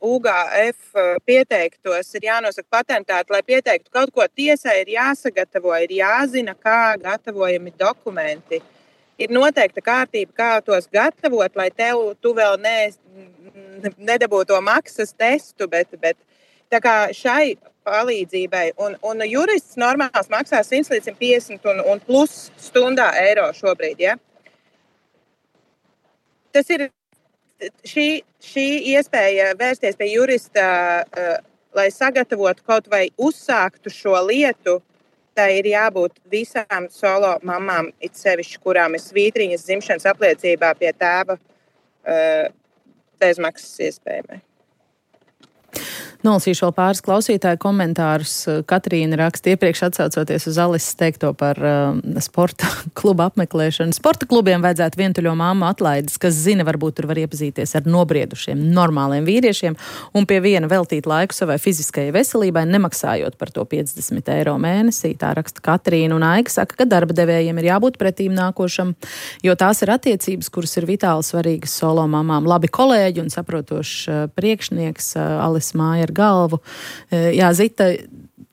F: U G F pieteiktos, ir jānosaka patentāti, lai pieteiktu kaut ko tiesai, ir jāsagatavo, ir jāzina, kā gatavojami dokumenti. Ir noteikta kārtība, kā tos gatavot, lai tev tu vēl ne, nedabūtu to maksas testu, bet, bet tā kā šai palīdzībai, un, un jurists normāls maksā simt līdz simt piecdesmit un, un plus stundā eiro šobrīd, ja? Tas ir šī, šī iespēja vērsties pie jurista, uh, lai sagatavotu kaut vai uzsāktu šo lietu, tā ir jābūt visām solo mamām, it sevišķi, kurām ir svītriņas dzimšanas apliecībā pie tēva uh, bezmaksas iespējamai.
C: Nolasīšu vēl pāris klausītāju komentārus. Katrīna raksta iepriekš atsaucoties uz Alises teikto par uh, sporta klubu apmeklēšanu. Sporta klubiem vajadzētu vientuļo māmu atlaides, kas zina, varbūt tur var iepazīties ar nobriedušiem, normāliem vīriešiem un pie viena veltīt laiku savai fiziskajai veselībai, nemaksājot par to piecdesmit eiro mēnesī. Tā raksta Katrīna, un Aiga saka, ka darba devējiem ir jābūt pretīm nākošam, jo tās ir attiecības, kuras ir vitāli svarīgas solo mamām. Labi kolēģi un saprotošs uh, priekšnieks uh, Alis Māja ar galvu. Jā, Zita,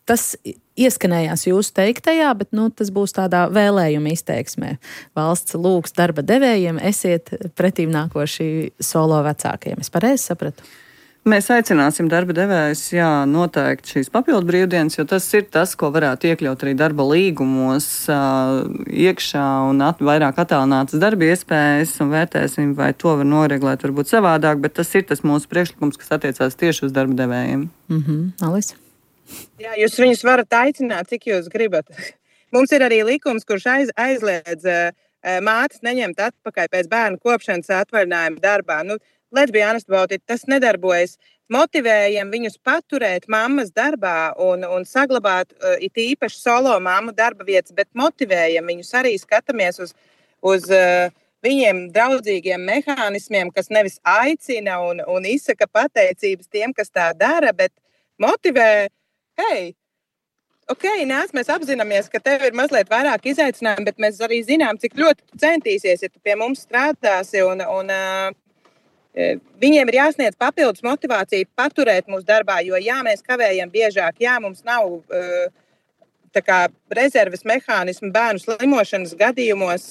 C: tas ieskanējās jūsu teiktajā, bet nu, tas būs tādā vēlējuma izteiksmē. Valsts lūgs darba devējiem, esiet pretīm nākoši solo vecākiem. Es pareizi sapratu?
E: Mēs aicināsim darba devējus, jā, noteikti šīs papildu brīvdienas, jo tas ir tas, ko varētu iekļaut arī darba līgumos uh, iekšā un at, vairāk attālinātas darba iespējas, un vērtēsim, vai to var noreglēt varbūt savādāk, bet tas ir tas mūsu priekšlikums, kas attiecās tieši uz darba devējiem.
C: Mhm, Alis?
F: Jā, jūs viņus varat aicināt, cik jūs gribat. Mums ir arī likums, kurš aiz, aizliedz uh, mātes neņemt atpakaļ pēc bērnu kopšanas atvaļinājuma darbā. Nu, let's be honest about it, tas nedarbojas. Motivējam viņus paturēt mammas darbā un, un saglabāt uh, it īpaši solo mammu darba vietas, bet motivējam viņus arī skatāmies uz, uz uh, viņiem draudzīgiem mehānismiem, kas nevis aicina un, un izsaka pateicības tiem, kas tā dara, bet motivē, hei, ok, nāc, mēs apzināmies, ka tev ir mazliet vairāk izaicinājumu, bet mēs arī zinām, cik ļoti tu centīsies, ja tu pie mums strādāsi un, un uh, viņiem ir jāsniedz papildus motivācija paturēt mūsu darbā, jo jā, mēs kavējam biežāk, jā, mums nav uh, tā kā rezerves mehānismu bērnu slimošanas gadījumos,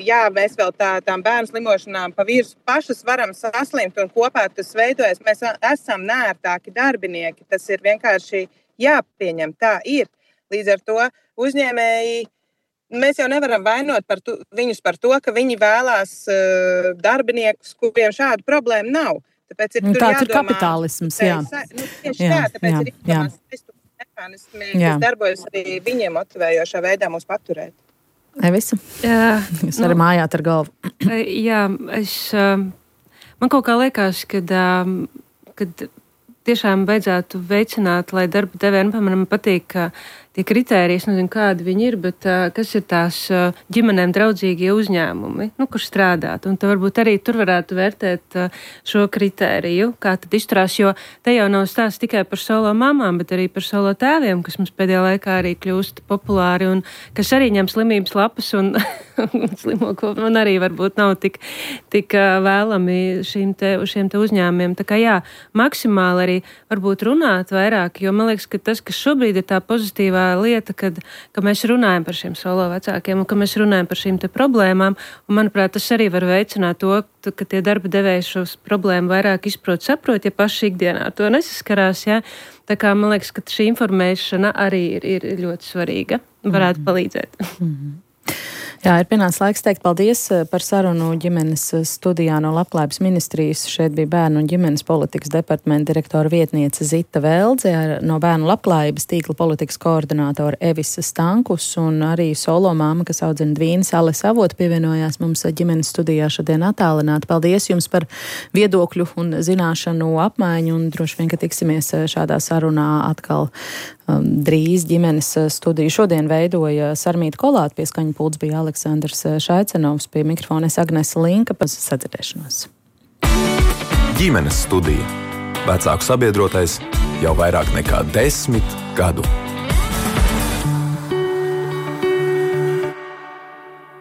F: jā, mēs vēl tā, tām bērnu slimošanām pa virsmu pašas varam saslimt un kopā tas veidojas. Mēs esam neērtāki darbinieki, tas ir vienkārši jāpieņem, tā ir. Līdz ar to uzņēmēji, mēs jau nevaram vainot par tu, viņus par to, ka viņi vēlās uh, darbiniekus, kuriem šādu problēmu nav. Tāpēc ir,
C: Tāds
F: jādomā,
C: ir kapitālisms, jā.
F: Nu, tieši
C: jā,
F: tā, tāpēc
C: jā,
F: ir jādomās mehānismi, kas darbojas arī viņiem motivējošā veidā mūs paturēt.
C: Evisa?
D: Jā,
C: Jūs arī nu, mājāt ar galvu.
D: Jā, es, man kaut kā liekas, kad, kad tiešām vajadzētu veicināt, lai darba devējiem, piemēram, patīk, ka tie kritēriji, es nezinu, kādi viņi ir, bet uh, kas ir tās uh, ģimenēm draudzīgie uzņēmumi, nu, kur strādāt. Un te varbūt arī tur varētu vērtēt uh, šo kritēriju, kā tad izturās, jo te jau nav stāsts tikai par solo mamām, bet arī par solo tēviem, kas mums pēdējā laikā arī kļūst populāri un kas arī ņem slimības lapas un slimo, un arī varbūt nav tik, tik uh, vēlami šīm te, šiem te uzņēmumiem. Tā kā jā, maksimāli arī varbūt runāt vairāk, jo man liekas, ka tas, kas šobrīd ir tā pozitīvā lieta, kad, ka mēs runājam par šiem solo vecākiem un ka mēs runājam par šīm te problēmām. Un, manuprāt, tas arī var veicināt to, ka tie darba devēji šos problēmu vairāk izprot, saprot, ja paši ikdienā ar to nesaskarās. Ja? Tā kā man liekas, ka šī informēšana arī ir, ir ļoti svarīga. Varētu mm-hmm. palīdzēt.
C: Mm-hmm. Jā, ir pienācis laiks teikt paldies par sarunu ģimenes studijā no Labklājības ministrijas. Šeit bija bērnu un ģimenes politikas departamenta direktora vietniece Zita Veldze, no bērnu labklājības tīkla politikas koordinātora Evisa Stankus un arī solo māma, kas audzina dvīnes, Alis Avota pievienojās mums ģimenes studijā šodien attālināti. Paldies jums par viedokļu un zināšanu apmaiņu un droši vien, ka tiksimies šādā sarunā atkal um, drīz ģimenes studiju. Šodien veidoja Sarmīta Kolāta, pie skaņa pults bija Aleksandrs Šaicenovs, pie mikrofona es Agnese Linka, pēc sadzirdēšanos.
B: Ģimenes studija. Vecāku sabiedrotais jau vairāk nekā desmit gadu.